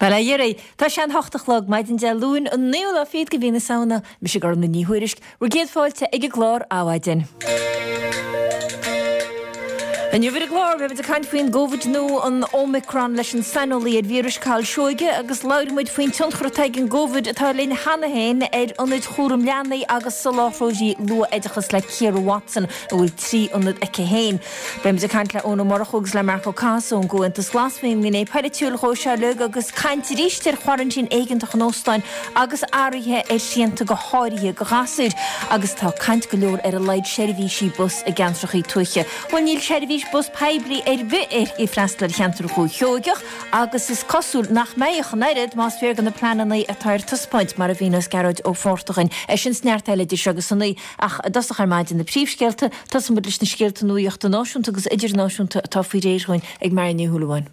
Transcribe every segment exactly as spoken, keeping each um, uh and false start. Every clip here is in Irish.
Bhuel, a dheiridh, tá sé an hocht a chlog maidin Dé Luain an naoú lá fichead de mhí na Samhna, mise Gormfhlaith Ní Thuairisg, bhur gcéad fáilte ag an gclár Adhmhaidin. Inniu ar an gclár, beimid ag caint faoin gCovid nua an Omicron leis an saineolaí ar víris Cathal Seoige agus labhróidh muid faoin tionchar atá ag an gCovid atá linn cheana féin ar ionaid chúram leanaí agus soláthróirí luath-oideachas le Ciara Watson a bhfuil trí ionad aici féin. Beimid ag caint le Eoin Ó Murchú agus le Marc Ó Cathasaigh ón gComhaontas Glas faoin ngné polaitiúil dhó seo uilig agus caint arís ar choraintín éigeantach in óstáin agus athruithe ar shrianta go háirithe do ghasúir agus tá caint go leor ar a laghad seirbhísí bus i gceantracha tuaithe. Bhuel níl seirbhís bus poiblí ar bith ag freastal ar cheantar Dhúiche Sheoigeach agus is cosúil nach mbeidh ach an oiread más fíor do na pleananna atá ar taispeáint mar a mhíneos Gearóid Ó Fátharta é sin is neart eile idir seo agus a naoi ach i dtosach ar maidin na príomhscéalta tosóimid leis na scéalta nuachta náisiúnta agus idirnáisiúnta atá faoi réir dhúinn ag Máire Ní Shúilleabháin.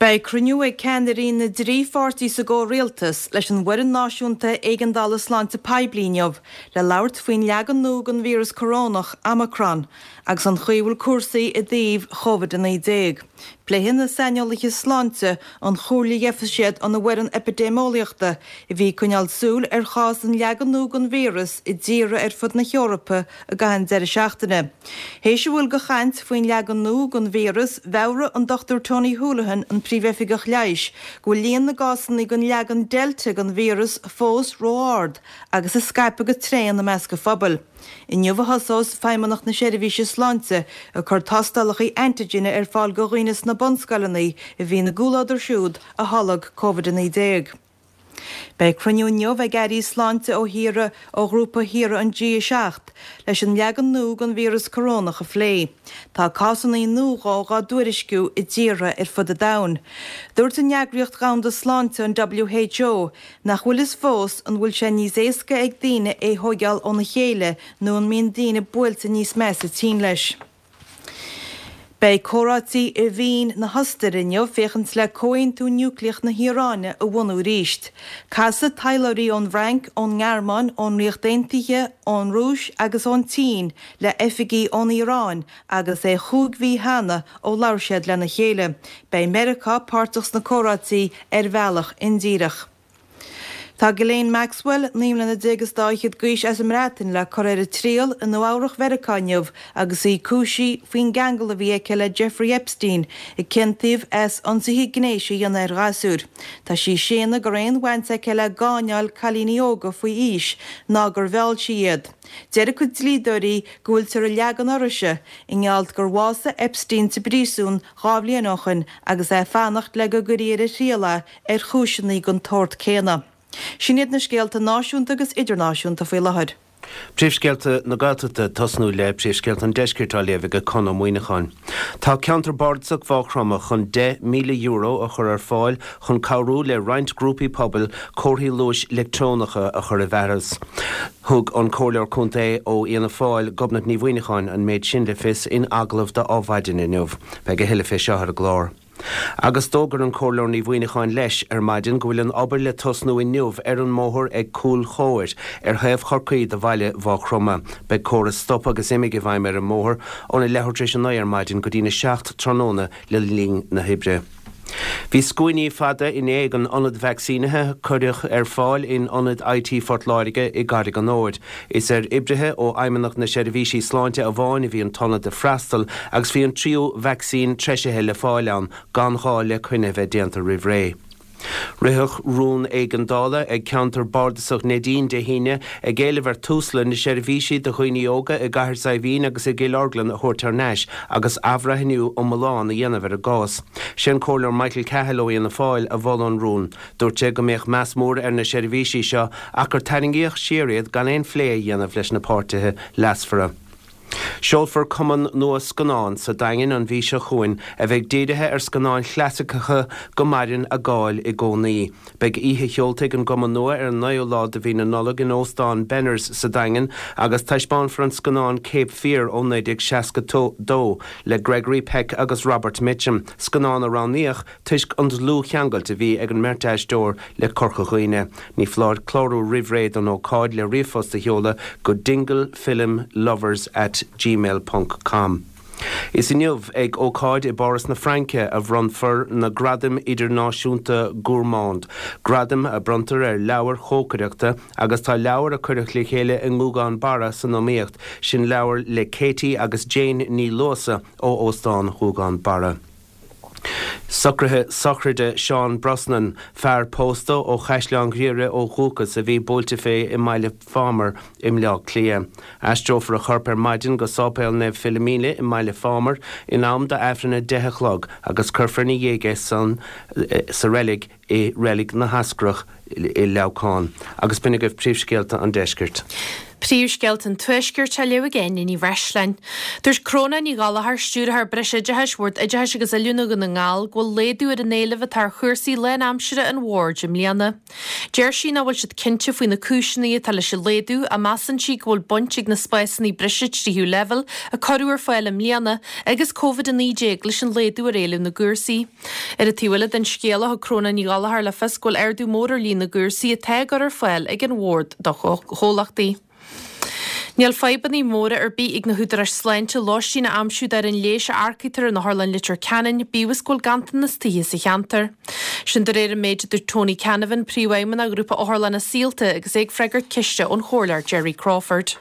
Beidh cruinniú ag ceannairí na dtrí pháirtí sa gcomhrialtas leis an bhFoireann Náisiúnta Éigeandála Sláinte Poiblí inniu le labhairt faoin leagan nua den víreas corónach, Omicron, agus an chaoi a bhfuil cúrsaí i dtaobh Covid a naoi déag. Pléifidh na saineolaithe sláinte an chomhairle a gheobhaidh siad óna bhfoireann eipidéimeolaíochta a bhí ag coinneáil súil ar chás an leagan nua den víreas i dtíortha ar fud na hEorpa i gcaitheamh an deireadh seachtaine. Théis a bhfuil de chaint faoin leagan nua den víreas, mheabhraigh an Dochtúir Tony Holohan, an Príomhoifigeach Leighis, go bhfuil líon na gcásanna den leagan Delta den víreas fós ró-ard agus ag scaipeadh go tréan i measc an phobail. Inniu a thosós Feidhmeannacht na Seirbhíse Sláinte ag cur tástálacha antigine ar fáil do dhaoine sna bunscoileanna a bhí ina gcomhluadar siúd a tholg Covid a naoi déag. Beidh cruinniú inniu ag airí sláinte ó thíortha ó ghrúpa thíortha an G a seacht leis an leagan nua den víreas corónach a phlé. Tá cásanna nua dhó dhá dtuairisciú i dtíortha ar fud an domhain. Dúirt an Eagraíocht Dhomhanda Sláinte, an W H O, nach bhfuil fhios fós an bhfuil sé níos éasca ag daoine é thógáil óna chéile nó an mbíonn daoine buailte níos measa tinn leis. Beidh comhráití i Vín na hOstaire inniu féachaint le comhaontú núicléach na hIaráine a bhunú arís. Casfaidh taidhleoirí ón bhFrainc, ón nGearmáin, ón Ríocht Aontaithe, ón Rúis agus ón tSín le hoifigigh ón Iaráin agus é chúig mhí cheana ó labhair siad lena chéile. Beidh Meiriceá páirteach sna comhráití ar bhealach indíreach. Tá Ghislaine Maxwell naoi mbliana déag is dá fhichead d'aois as an mBreatain le cur ar a triail i Nua-Eabhrac Mheiriceá inniu agus í cúisithe faoin gceangal a bhí aici le Jeffrey Epstein a ciontaíodh as ionsaithe gnéis a dhéanamh ar ghasúir. Tá sí ag séanadh go raibh aon bhaint aici le gáinneáil cailíní óga faoi aois ná gur mheall sí iad. Deir a cuid dlíodóirí go bhfuiltear ag leagan uirthise i ngeall gur bhásaigh Epstein sa bpríosún dhá bhliain ó shin agus é ag fanacht le go gcuirfí ar a thriail é ar chúiseanna den tsórt céanna. Sin iad na scéalta náisiúnta agus idirnáisiúnta faoi láthair. Príomhscéalta na Gaeltachta tosnú le príomhscéalta an deiscirt á léamh ag Conn Ó Muíneacháin. Tá ceantar bardasach Mhaigh Chromtha chun deich míle euro a chur ar fáil chun cabhrú le roinnt grúpaí pobail comharthaí luais leictreonacha a chur i bhfearas. Thug an Comhairleoir Contae ó Fhianna Fáil Gobnait Ní Mhuineacháin an méid sin le fios in agallamh do Adhmhaidin inniu. Beidh a thuilleadh fé seo ar an gclár. Agus d'fhógair an Comhairleoir Ní Mhuineacháin leis ar maidin go bhfuil an obair le tosnú inniu ar an mbóthar ag Cúil Chóir ar thaobh Chorcaí de bhaile Mhaigh Chromtha. Beidh córas stop agus imigh i bhfeidhm ar an mbóthar óna leathuair tar éis a naoi ar maidin go dtína seacht tráthnóna le linn na hoibre. Bhí scuainí fada inné ag an ionad vacsaínithe cuireadh ar fáil in ionad I T Phort Láirge i gCarraig an Óir. Is ar oibrithe ó Fheidhmeannacht na Seirbhísí Sláinte amháin a bhí an t-ionad ag freastal agus bhí an tríú vacsaín treisithe le fáil ann gan ghá le coinne bheith déanta roimh ré. Ritheadh rún éigeandála ag ceantar bardasach Neidín Dé hAoine ag éileamh ar Tusla na seirbhísí do dhaoine óga i gCathair Saidhbhín agus i gCill Orglan a thabhairt thar n-ais agus athbhreithniú iomlán a dhéanamh ar a gcás. Sé an Comhairleoir Michael Cahill ó Fhianna Fáil a mhol an rún. Dúirt sé go mbeadh meas mór ar na seirbhísí seo ach gur tarraingíodh siar iad gan aon phlé a dhéanamh leis na páirtithe leasmhara. Seolfar cumann nua scannán sa Daingean an mhí seo chugainn a bheidh dírithe ar scannáin chlasaiceacha go maireann a gcáil i gcónaí. Beidh oíche sheolta ag an gcumann nua ar an naoú lá de mhí na Nollag in Óstán Benners sa Daingean agus taispeánfar an scannán Cape Fear ó naoi déag seasca dó le Gregory Peck agus Robert Mitchum, scannán a roghnaíodh toisc an dlúthcheangal a bhí ag an mbeirt aisteoir le Corca Dhuibhne. Ní foláir clárú roimh ré don ócáid le ríomhphost a sheoladh go dinglefilmlovers at gmail ponc com. Is inniu ag ócáid i bPáras na Fraince a bhronnfar na Gradaim Idirnáisiúnta Gourmand, gradaim a bronntar ar leabhair chócaireachta agus tá leabhar a cuireadh le chéile i nGúgán Barra san iomaíocht, sin leabhar le Katie agus Jane Ní Luasa ó Óstán Ghúgán Barra. Socruithe sochraide Seán Brosnan, fear pósta ó Chaisleán Ghriaire ó dhúchas a bhí buailte fé i mBaile Phámar i mBleá Cliath. Aistreofar a chorp ar maidin go Sáipéal Naomh Philomena i mBaile Phámar in am d'Aifreann a deich a chlog agus cuirfear ina dhiaidh é san sa reilig i Reilig na hEascrach i Leamhcán. Agus b'in agaibh príomhscéalta an deiscirt. Príomhscéalta an Tuaiscirt á léamh ag Áine Ní Bhreisleáin. Dúirt Cróna Ní Ghallchóir, Stiúrthóir Breisoideachais Bhord Oideachais agus Oiliúna Dhún na nGall, go bhfuil laghdú ar an éileamh atá ar chúrsaí lánaimsire an bhoird i mbliana. Deir sí nach bhfuil siad cinnte faoi na cúiseanna atá leis an laghdú ach measann sí go bhfuil baint ag na spásanna breise tríú leibhéal a cuireadh ar fáil i mbliana agus Covid a naoi déag leis an laghdú ar éileamh na gcúrsaí. Ar an taobh eile den scéal, thug Cróna Ní Ghallchóir le fios go bhfuil ardú mór ar líon na gcúrsaí atá á gcur ar fáil ag an bhord do chomhlachtaí. Níl fadhbanna móra ar bith ag na húdaráis sláinte lóistín a aimsiú d'fhoireann leighis a earcaítear in Otharlann Leitir Ceanainn, bíodh is go bhfuil ganntanas tithe sa cheantar. Sin de réir an méid a dúirt Tony Canavan, Príomhfheidhmeannach Ghrúpa Otharlanna Saolta agus é ag freagairt ceiste ón Chomhairleoir Gerry Crawford.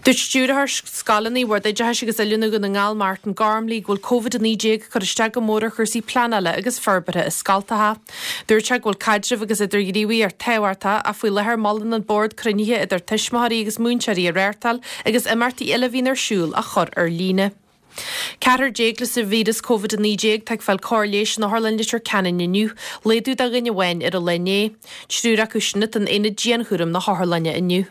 Dúirt Stiúrthóir Scoileanna Bhord Oideachais agus Oiliúna Dhún na nGall Martin Gormley go bhfuil Covid a naoi déag ag cur isteach go mór ar chúrsaí pleanála agus forbartha i scoltacha. Dúirt sé go bhfuil caidreamh agus idirghníomhaíocht tábhachtach ach faoi láthair molann an Bord cruinnithe idir tuismitheoirí agus múinteoirí a reáchtáil agus imeachtaí eile a bhíonn ar siúl a chur ar líne. Ceathrar déag leis an víreas Covid a naoi déag atá ag fáil cóir leighis in Otharlann Leitir Ceanainn inniu, laghdú de dhuine amháin ar an lá inné. Triúr acu sin atá in aonad dianchúraim na hotharlainne inniu.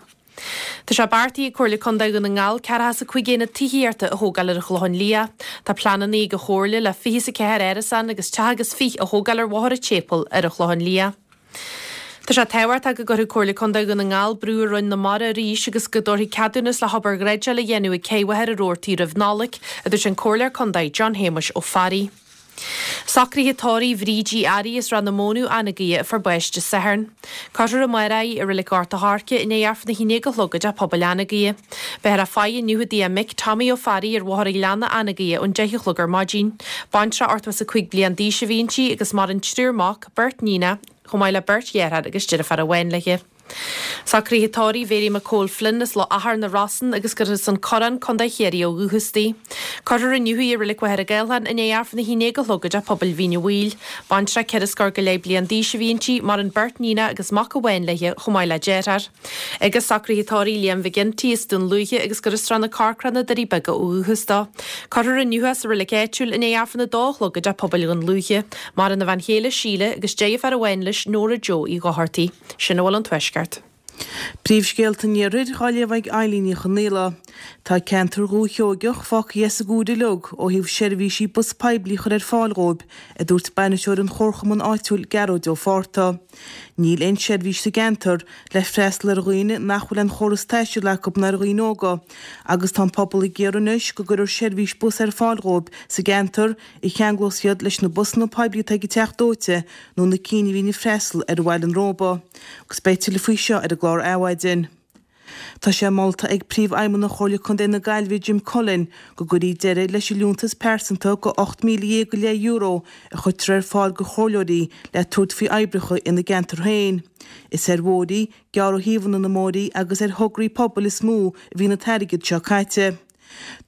Tá sé beartaithe ag Comhairle Contae Dhún na nGall ceathracha is a cúig aonad tithíochta a thógáil ar an Chlochán Liath. Tá pleananna ag an Chomhairle le fiche is a ceathair árasán agus teach agus fiche a thógáil ar Bhóthar an tSéipéil ar an Chlochán Liath. Tá sé tábhachtach go gcuirfidh Comhairle Contae Dhún na nGall brú ar Roinn na Mara arís agus go dtabharfaí ceadúnas le hobair dhreideála a dhéanamh ag Cé Mhachaire Rabhartaigh roimh Nollaig, a dúirt an Comhairleoir Contae John Shéamuis Ó Fearraigh. Socruithe tórraimh Bhríd Uí Fhearraigh as Ráth na Mónadh, Anagaire a fuair bás Dé Sathairn. Cuirfear amárach í i Reilig Ghort a' Choirce i ndiaidh Aifreann a haon déag a chlog i dTeach Pobail Anagaire. Beifear á faire inniu i dtigh a mic, Tommy Ó Fearraigh ar Bhóthar an Ghleanna, Anagaire ón deich a chlog ar maidin. Baintreach ochtó is a cúig bliain d'aois a bhí inti agus maireann triúr mac, beirt níonacha, chomh maith le beirt dheartháir agus deirfiúr amháin léi. Socruithe tórraimh Mhary McCole Flynn as Loch Achar na Rosann agus gur as an Corrán, Contae Chiarraí ó dhúchas di. Cuirfear inniu í i Reilig Mhachaire Gathlán i ndiaidh Aifreann a haon déag a chlog i dTeach Pobail Mhín a' Bhaoill. Baintreach ceithre scór go leith bliain d'aois a bhí inti, maireann beirt níonacha agus mac amháin léi chomh maith le deartháir. Agus socruithe tórraimh Liam McGinty as Dún Lúiche agus gur as Srath na Corcra, na Doirí Beaga ó dhúchas dó. Cuirfear inniu é sa reilig áitiúil i ndiaidh Aifreann a dó a chlog i dTeach Pobail Dhún Lúiche. Maireann a bhean chéile Síle agus deirfiúr amháin leis Nóra Joe Uí Dhochartaigh. Sin a bhfuil ón Tuaisceart. Príomhscéalta an Iarthair á léamh ag Eilín Ní Chonaola. Tá ceantar Dhúiche Sheoigeach fágtha as an gcúr uilig ó thaobh seirbhísí bus poiblí a chur ar fáil dhóibh, a dúirt bainisteoir an chomharchumainn áitiúil Gearóid Ó Fátharta. Níl aon seirbhís sa gceantar le freastal ar dhaoine nach bhfuil aon chóras taistil acu ná ar dhaoine óga agus tá an pobal ag iarraidh anois go gcuirfear seirbhís bus ar fáil dhóibh sa gceantar a cheanglós iad leis na busanna poiblí atá ag teacht dóite nó na cinn a bhíonn ag freastal ar Bhaile an Róba. Agus beidh tuilleadh faoi seo ar an gclár Adhmhaidin. Tá sé molta ag Príomhfheidhmeannach Chomhairle Contae na Gaillimhe Jim Cullen go gcuirfí deireadh leis an liúntas pearsanta go ocht míle dhéag go leith euro a chuirtear ar fáil go chomhairleoirí le tabhairt faoi oibreacha ina gceantar féin. Is ar bhóithrí, gearradh thaobhanna na mbóithrí agus ar thograí pobail is mó a bhíonn an t-airgead seo caite.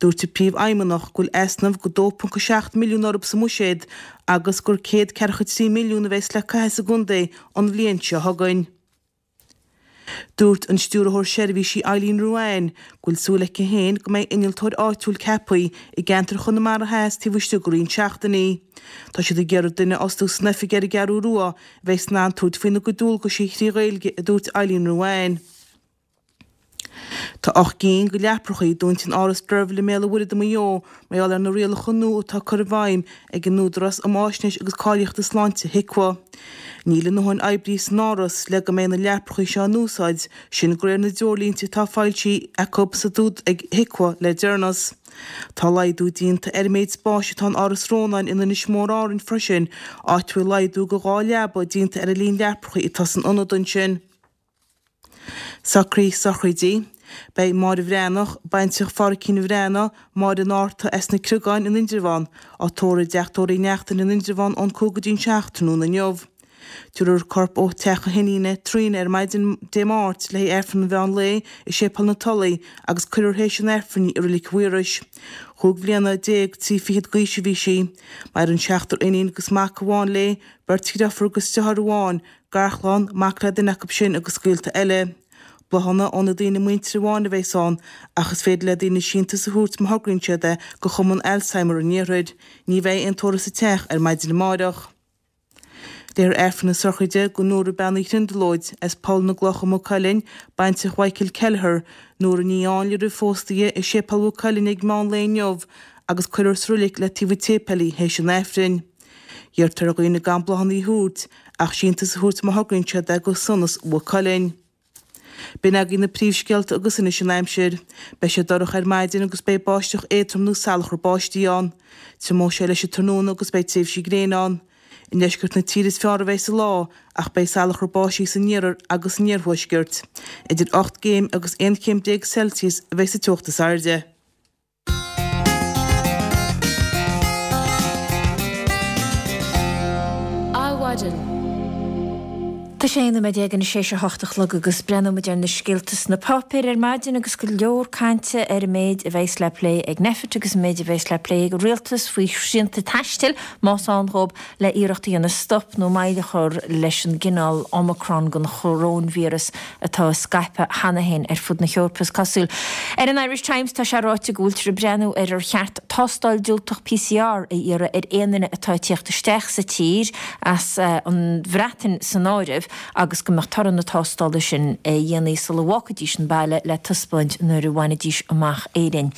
Dúirt an Príomhfheidhmeannach go bhfuil easnamh go dó ponc a seacht milliún orthu sa mbuiséad agus gur céad ceathracha trí milliún a bheas le caitheamh sa gcontae an bhliain seo chugainn. Dúirt an Stiúrthóir Seirbhísí Eileen Ruane go bhfuil súil aici féin go mbeidh innealtóir áitiúil ceaptha i gceantar Chonamara Theas taobh istigh de roinnt seachtainí. Tá siad ag iarraidh duine a fhostú san oifig ar an gCeathrú Rua a bheas in ann tabhairt faoina gcuid dualgaisí trí Ghaeilge, a dúirt Eileen Ruane. Tá ocht gcinn de leaprachaí dúnta in Áras Derville i mBéal an Mhuirthead i Maigh Eo mar gheall ar na rialacha nua atá curtha i bhfeidhm ag an Údarás um Fháisnéis agus Cáilíochta Sláinte, HIQA. Níl a ndóthain oibrithe san áras le go mbeidh na leaprachaí seo in úsáid, sin de réir na dtreoirlínte atá foilsithe acu sa ag HIQA le deireanas. Tá laghdú déanta ar an méid spáis atá in Áras Rónáin in Inis Mór Árainn freisin, áit a bhfuil laghdú go dhá leaba déanta ar an líon leaprachaí atá san ionad ansin. Socruithe sochraidí. Beidh Máire Bhreathnach, baintreach Phádraicín Bhreathnach, Máire an Fhárta as na Criogáin in Indreabhán, á tórramh i dTeach Tórraimh Uí Neachtain in Indreabhán ón cúig go dtí an seacht tráthnóna inniu. Tabharfar a corp ó theach a hiníne, Tríona, ar maidin Dé Máirt le haghaidh Aifreann an mheán lae i Séipéal na Tulaí agus cuirfear théis an Aifrinn í i Reilig Mhaorais. Chúig bhliana déag trí fichead d'aois a bhí sí. Maireann seachtar iníon agus mac amháin léi, beirt dheirfiúr agus deartháir amháin, garchlann, mac le duine acu sin agus gaolta eile. Bláthanna ó na daoine muinteartha amháin a bheas ann, ach is féidir le daoine síntiús a thabhairt má thograíonn siad é go Chumann Alzheimer an Iarthair. Ní bheidh aon tórramh sa teach ar maidin amáireach. Léifear Aifreann na sochraide do Nóra Bean Uí Thrionglóid as Poll na gCloch i Maigh Cuilinn, baintreach Mhichael Kelleher, Nóra Ní Áinle roimh phósadh di, i Séipéal Mhaigh Cuilinn ag meán lae inniu agus cuirfear sa roilig le taobh an tséipéil í théis an Aifrinn. Iarrtar ar dhaoine gan bláthanna a thabhairt ach síntiús a thabhairt má thograíonn siad é go Sonas Mhaigh Cuilinn. B'in agaibh na príomhscéalta agus anois an aimsir. Beidh sé dorcha ar maidin agus beidh báisteach éadrom nó salachar báistí ann. Triomóidh sé leis an tráthnóna agus beidh tréimhsí gréine ann. I ndeisceart na tíre is fearr a bheidh an lá ach beidh salachar báistí san iarthar agus san iarthuaisceart. Idir ocht gcéim agus aon chéim déag Celsius a bheidh sa teocht is airde. Adhmhaidin. Tá sé aon nóiméad déag anois théis a hocht a chlog agus breathnóimid ar na scéalta sna páipéir ar maidin agus go leor cainte ar an méid a bheas le plé ag Nphet agus an méid a bheas le plé ag an Rialtas faoi shrianta taistil, más ann dhóibh, le iarracht a dhéanamh stop nó moill a chur leis an gcineál Omicron den choróinvíreas atá ag scaipeadh cheana féin ar fud na hEorpa, is cosúil. Ar an Irish Times tá sé ráite go bhfuiltear ag breathnú ar ar cheart tástáil diúltach PCR a iarraidh ar aon duine atá ag tíocht isteach sa tír, as an Bhreatain san áireamh, agus go mbeadh toradh na tástála sin a dhéanamh sula bhfágfaidís an baile le taispeáint nuair a bhainfidís amach Éirinn.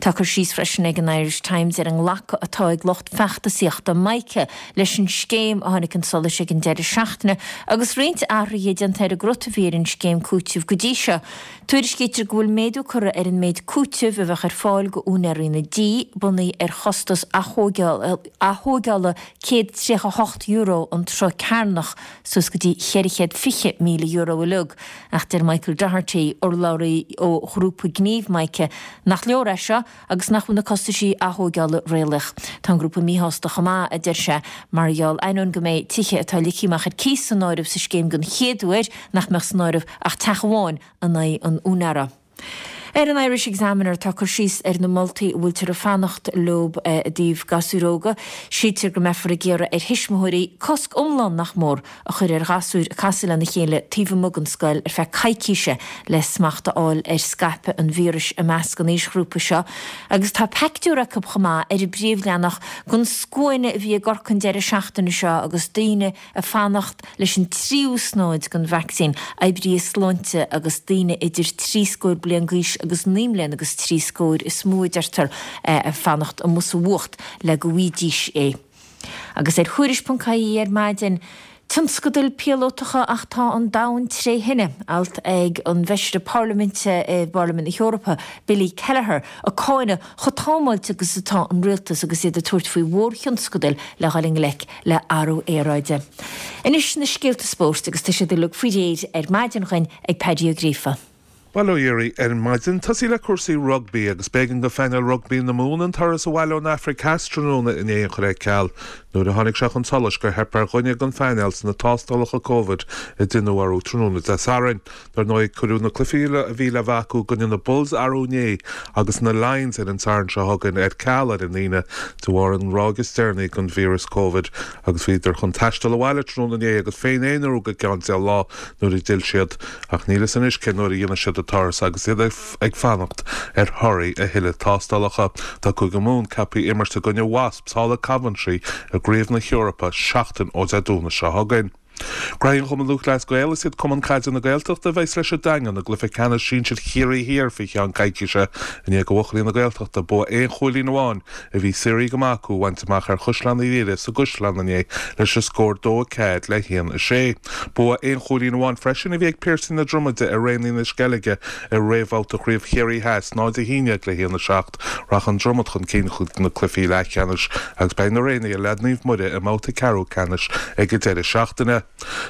Tá cur síos freisin ag an Irish Times ar an nglacadh atá ag lucht feachtasaíochta Mica leis an scéim a tháinig chun solais ag an deireadh seachtaine agus roinnt athruithe déanta ar an gcrut a bhí ar an scéim cúitimh go dtí seo. Tuairiscítear go bhfuil méadú curtha ar an méid cúitimh a bheadh ar fáil go úinéirí na dtí, bunaithe ar chostas athógála céad tríocha hocht euro an troigh cearnach, suas go dtí cheithre chéad fiche míle euro uilig. Ach deir Michael Doherty, urlabhraí ó ghrúpa gnímh Mica, nach leor é seo agus nach bhfuil na costaisí athógála réalaíoch. Tá an grúpa míshásta chomh maith, a deir sé, mar gheall, ainneoin go mbeidh tithe atá ligthe amach ar cíos san áireamh sa scéim den chéad uair, nach mbeadh san áireamh ach teach amháin in aghaidh an úinéara. Ar an Irish Examiner tá cur síos ar na moltaí a bhfuiltear ag fanacht leo i dtaobh gasúir óga. Síltear go mbeifear ag iarraidh ar thuismitheoirí cosc iomlán, nach mór, a chur ar ghasúir ag casadh lena chéile taobh amuigh den scoil ar feadh coicíse le smacht a fháil ar scaipeadh an víris i measc an aoisghrúpa seo. Agus tá peictiúr acu chomh maith ar an bpríomhleathanach den scuaine a bhí i gCorcaigh an deireadh seachtaine seo agus daoine ag fanacht leis an tríú snóid den vacsaín, oibrithe sláinte agus daoine idir trí scór bliain d'aois agus naoi mbliana agus trí scór is mó a deirtear ag fanacht amuigh sa bhfuacht le go bhfaighidís é. Agus ar Thuairisc ponc ie ar maidin, Tionscadail píolótacha ach tá an domhan tré thine, alt ag an bhFeisire Parlaiminte i bParlaimint na hEorpa, Billy Kelleher, ag cáineadh chomh támáilte agus atá an rialtas agus iad ag tabhairt faoi mhórthionscadail le dhul i ngleic le athrú aeráide. Anois na scéalta spóirt agus tá siad uilig faoi réir ar maidin dhuinn ag Paddy Ó Gríofa. Bail ó Dhia oraibh ar maidin. Tosaí le cúrsaí rugbaí agus b'éigean do phainéal rugbaí na Mumhan an turas abhaile ón Afraic Theas tráthnóna inné a chur ar ceal nuair a tháinig sé chun solais gur theip ar dhuine den phainéal sna tástálacha Covid a deineadh orthu tráthnóna Dé Sathairn. Dar ndóigh, cuireadh na cluichí a bhí le bheith acu i gcoinne na Bulls arú inné agus na Lions ar an Satharn seo chugainn ar ceal ar an Aoine de bharr an ráig is deireanaí den víreas Covid agus bhíodar chun taisteal abhaile tráthnóna inné agus féin-aonarú go ceann deich lá nuair a d'fhill siad ach níl fhios anois cén uair a dhéanfaidh siad an turas agus iad ag fanacht ar thorthaí a thuilleadh tástálacha. Tá Cúige Mumhan ceaptha imirt i gcoinne Wasps thall i Coventry i gCraobh na hEorpa seachtain ó Dé Domhnaigh seo chugainn. Graithe an Chumainn Lúthchleas Gael, Is iad Cumann Caide na Gaeltachta a bheas leis an Daingean i gcluiche ceannais sinsir Chiarraí Thiar faoi cheann coicíse i ndiaidh do bhuachaillí na Gaeltachta bua aon chúilín amháin a bhí saothraithe go maith acu a bhaint amach ar Chaisleán Uí Laoghaire sa gCaisleán inné leis an scór dó a ceathair le haon a sé. Bua aon chúilín amháin freisin a bhí ag Piarsaigh na Dromoide ar Raonaithe na Sceilge i réamhbhabhta Chraobh Chiarraí Theas, náid a haon déag le haon a seacht. Rachaidh an Dromad chun cinn chuig na cluichí leathcheannais agus beidh na Raonaithe le Naomh Muire i mbabhta ceathrú ceannais ag an deireadh seachtaine.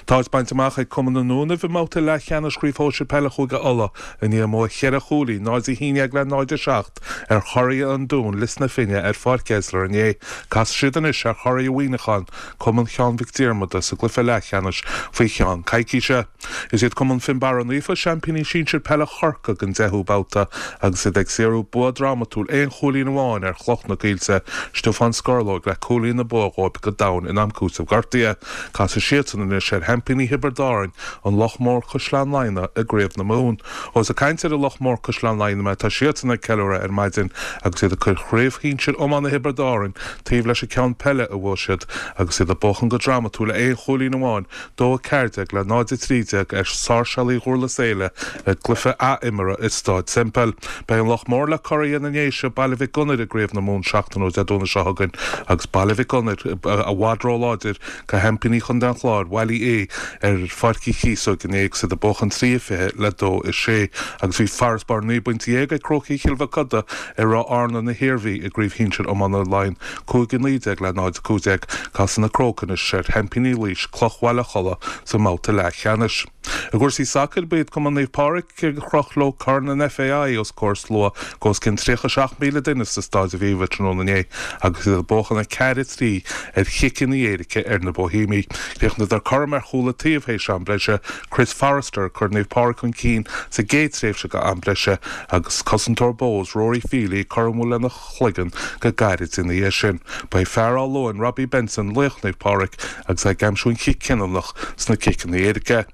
Tá áit bainte amach ag Cumann na nDúnaibh i mbabhta leathcheannais Chraobh Shóisir Peile Chúige Uladh i ndiaidh a mbua cheithre chúilín, náid a haon déag le náid a seacht, ar churaidh an Dúin, Lios na Finne, ar Pháirc Esler inné. Casfaidh siad anois ar churaidh Mhuineacháin, Cumann Sheáin Mhic Diarmada, sa gcluiche leathcheannais faoi cheann coicíse. Is iad Cumann Fionnbarra Naofa seaimpíní sinsir peile Chorcaí don deichiú babhta agus iad ag saothrú bua drámatúil aon chúilín amháin ar Chloch na Coillte, Stiofán Scorlóg le cúilín na bua dhóibh go domhain in am cúitimh gortaithe. Casfaidh siadsan anois ar sheaimpíní Thiobraid Árann, an Loch Mór Caisleán Laighean i gCraobh na Mumhan. Ó is ag caint ar an Loch Mór Caisleán Laighean mé, tá siadsan ag ceiliúradh ar maidin agus iad ag cur Chraobh Shinsir Iomána Thiobraid Árann taobh leis an ceann peile a bhuaigh siad agus iad ag buachan go drámatúil aon chúilín amháin, dó a ceathair déag le náid a trí déag ar Sáirséalaigh Dhurlas Éile i gcluiche ath-imeartha i Stáid Semple. Beidh an Loch Mór le curaidh na nDéise, Baile Mhic Gonair i gCraobh na Mumhan seachtain ó Dé Domhnaigh seo chugainn agus Baile Mhic Gonair i bhfad róláidir do sheaimpíní Chontae an Chláir, Bhaile Uí Aodha ar Pháirc Uí Chíosóg inné agus iad ag buachan trí a fiche le dó a sé agus bhí farasbarr naoi bpointe dhéag ag Crócaigh Chill Mhochuda ar Ráth Fhearna na hIarmhí i gCraobh Shinsir Iomána Laighean cúig a naoi déag le náid a cúig déag. Casfaidh na Crócaigh anois ar sheaimpíní Laois, Cloich Bhaile Cholla sa mbabhta leathcheannais. I gcúrsaí sacair, ba iad Cumann Naomh Pádraig a chroch leo Corn an FAI os comhair slua de os cionn tríocha seacht míle duine sa Staid Aviva tráthnóna inné agus iad ag buachan a ceathair a trí ar chiceanna éirice ar na Boihéamaigh. Chríochnaíodar cothrom ar chúl an taobh théis am breise, Chris Forrester ag cur Naomh Pádraig chun cinn sa gcéad tréimhse de am breise agus cosantóir Bohs, Rory Feely ag cur amú lena chloigeann go gairid ina dhiaidh sin. Ba é fear Áth Luain, Robbie Benson, laoch Naomh Pádraig agus é ag aimsiú an chic chinniúnach sna ciceanna éirice.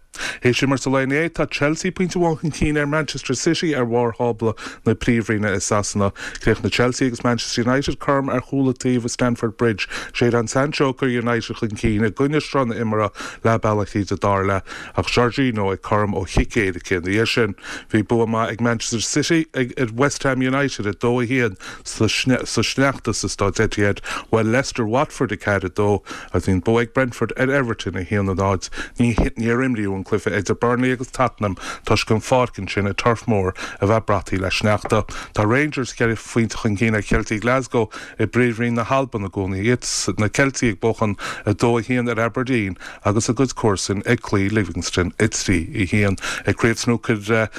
Théis imirt an lae inné, tá Chelsea pointe amháin chun cinn ar Manchester City ar bharr thábla na Príomhroinne i Sasana. Chríochnaigh Chelsea agus Manchester United cothrom ar chúl an taobh i Stamford Bridge. Jadon Sancho ag cur United chun cinn i gcoinne sruth na himeartha leath bealaigh tríd an dara leath ach Jorginho ag cothrom ó chic éirice ina dhiaidh sin. Bhí bua maith ag Manchester City ar West Ham United a dó a haon sa sneachta sa Staid Etihad. Bhuail Leicester Watford a ceathair a dó agus bhí an bua ag Brentford ar Everton a haon a náid. Níor imríodh an cluiche idir Burnley agus Tottenham toisc an pháirc ansin i Turf Moor a bheith brataithe le sneachta. Tá Rangers ceithre phointe chun cinn ar Cheiltigh Glasgow i bPríomhroinn na hAlban i gcónaí, iad na Ceiltigh ag buachan a dó a haon ar Aberdeen agus a gcuid comharsan ag cloí Livingston a trí a haon. Ag Craobh Snúcair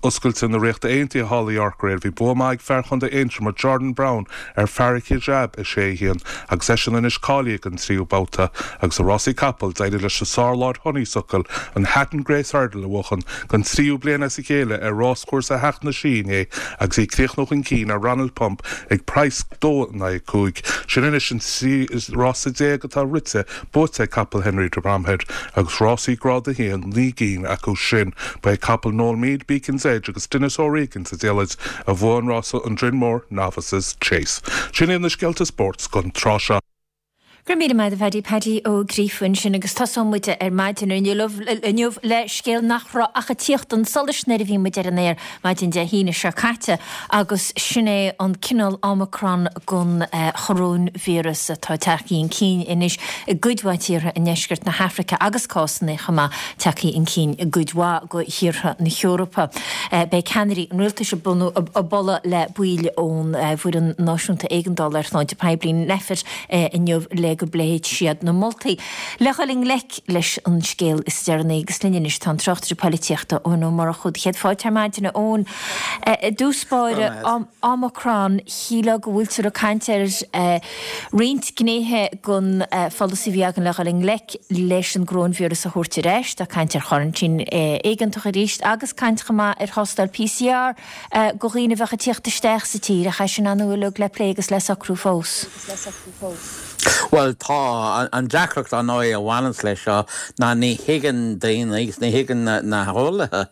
Oscailte na Ríochta Aontaithe thall i York aréir bhí bua maith ag fear Chontae Aontroma Jordan Brown ar Farakh Hijab a sé a haon agus eisean anois cáilithe don tríú babhta agus i rásaí capall d'éirigh leis an sárláid Honeysuckle an Hatton Grace Hurdle a bhuachan don tríú bliain as a chéile ar ráschúrsa Theach na Sí inné agus í ag críochnú chun cinn ar Ronald Pump ag praghas dó in aghaidh a cúig. Sin anois an trí rása déag atá rite buaite ag capall Henry de Bromhead agus rásaí Grád a haon, naoi gcinn acu sin. Ba é capall Noel Meade, Beacon's Edge agus Denis O'Regan sa diallait a bhuaigh an rása an Drinmore Novices Chase. Sin iad na scéalta spóirt don tráth seo. Go raibh míle maith agat a Phaddy, Paddy Ó Gríofa ansin agus tosóidh muid ar maidin inniu le scéal nach raibh ach ag tíocht chun solais nuair a bhí muid ar an aer maidin Dé hAoine seo caite agus sin é an cineál Omicron den choróinvíreas atá tagtha chun cinn anois i gcuid mhaith tíortha i ndeisceart na hAfraice agus cásanna chomh maith tagtha chun cinn i gcuid mhaith de thíortha na hEorpa. Beidh ceannairí an rialtais ag bualadh le baill ón bhFoireann Náisiúnta Éigeandála ar Shláinte Poiblí, Nphet, inniu le go bpléifidh siad na moltaí le dhul i ngleic leis an scéal is deireanaí. Agus linn anois tá an tráchtaire polaitíochta Eoin Ó Murchú. Céad fáilte ar maidin, a Eoin. I dtús báire, Omicron, shílfeá go bhfuiltear ag caint ar roinnt gnéithe den pholasaí a bhí againn le dhul i ngleic leis an gcoróinvíreas a thabhairt ar ais. Tá caint ar choraintín éigeantach arís agus caint chomh maith ar thástáil PCR do dhaoine a bheadh ag tíocht isteach sa tír ach é sin an-uilig le plé agus le socrú fós. Bhuel tá. An deacracht ar ndóigh a bhaineanns leis seo ná ní thuigeann daoine agus ní thuigeann na heolaithe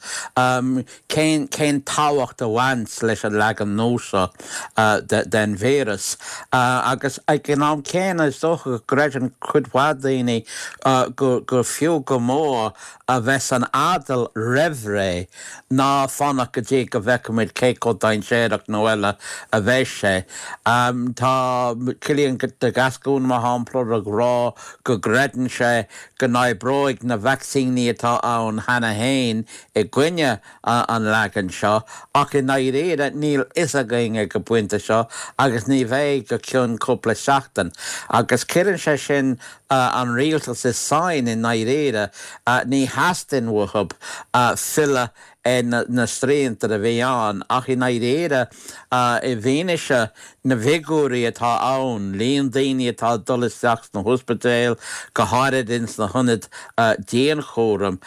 cén cén tábhacht a bhains leis an leagan nua seo den víreas. Agus ag an am céanna is dócha go gcreideann cuid mhaith daoine gur fiú go mór a bheith san fheadal roimh ré ná fanacht go dtí go bhfeicfimid cé chomh dainséarach nó eile a bheidh sé. Tá Cillian de Gascún Gascún, mar shampla, ag rá go gcreideann sé go n-oibreoidh na vacsaíní atá ann cheana féin i gcoinne an leagain seo, ach i ndáiríre níl fhios againn ag an bpointe seo agus ní bheidh go ceann cúpla seachtain. Agus cuireann sé sin an rialtas i sáinn i ndáiríre, ní theastaíonn uathu filleadh ar na srianta a bhí ann, ach i ndáiríre, i bhfianaise na bhfigiúirí atá ann, líon daoine atá ag dul isteach sna hospidéil, go háirid ins na hionaid dianchúraim,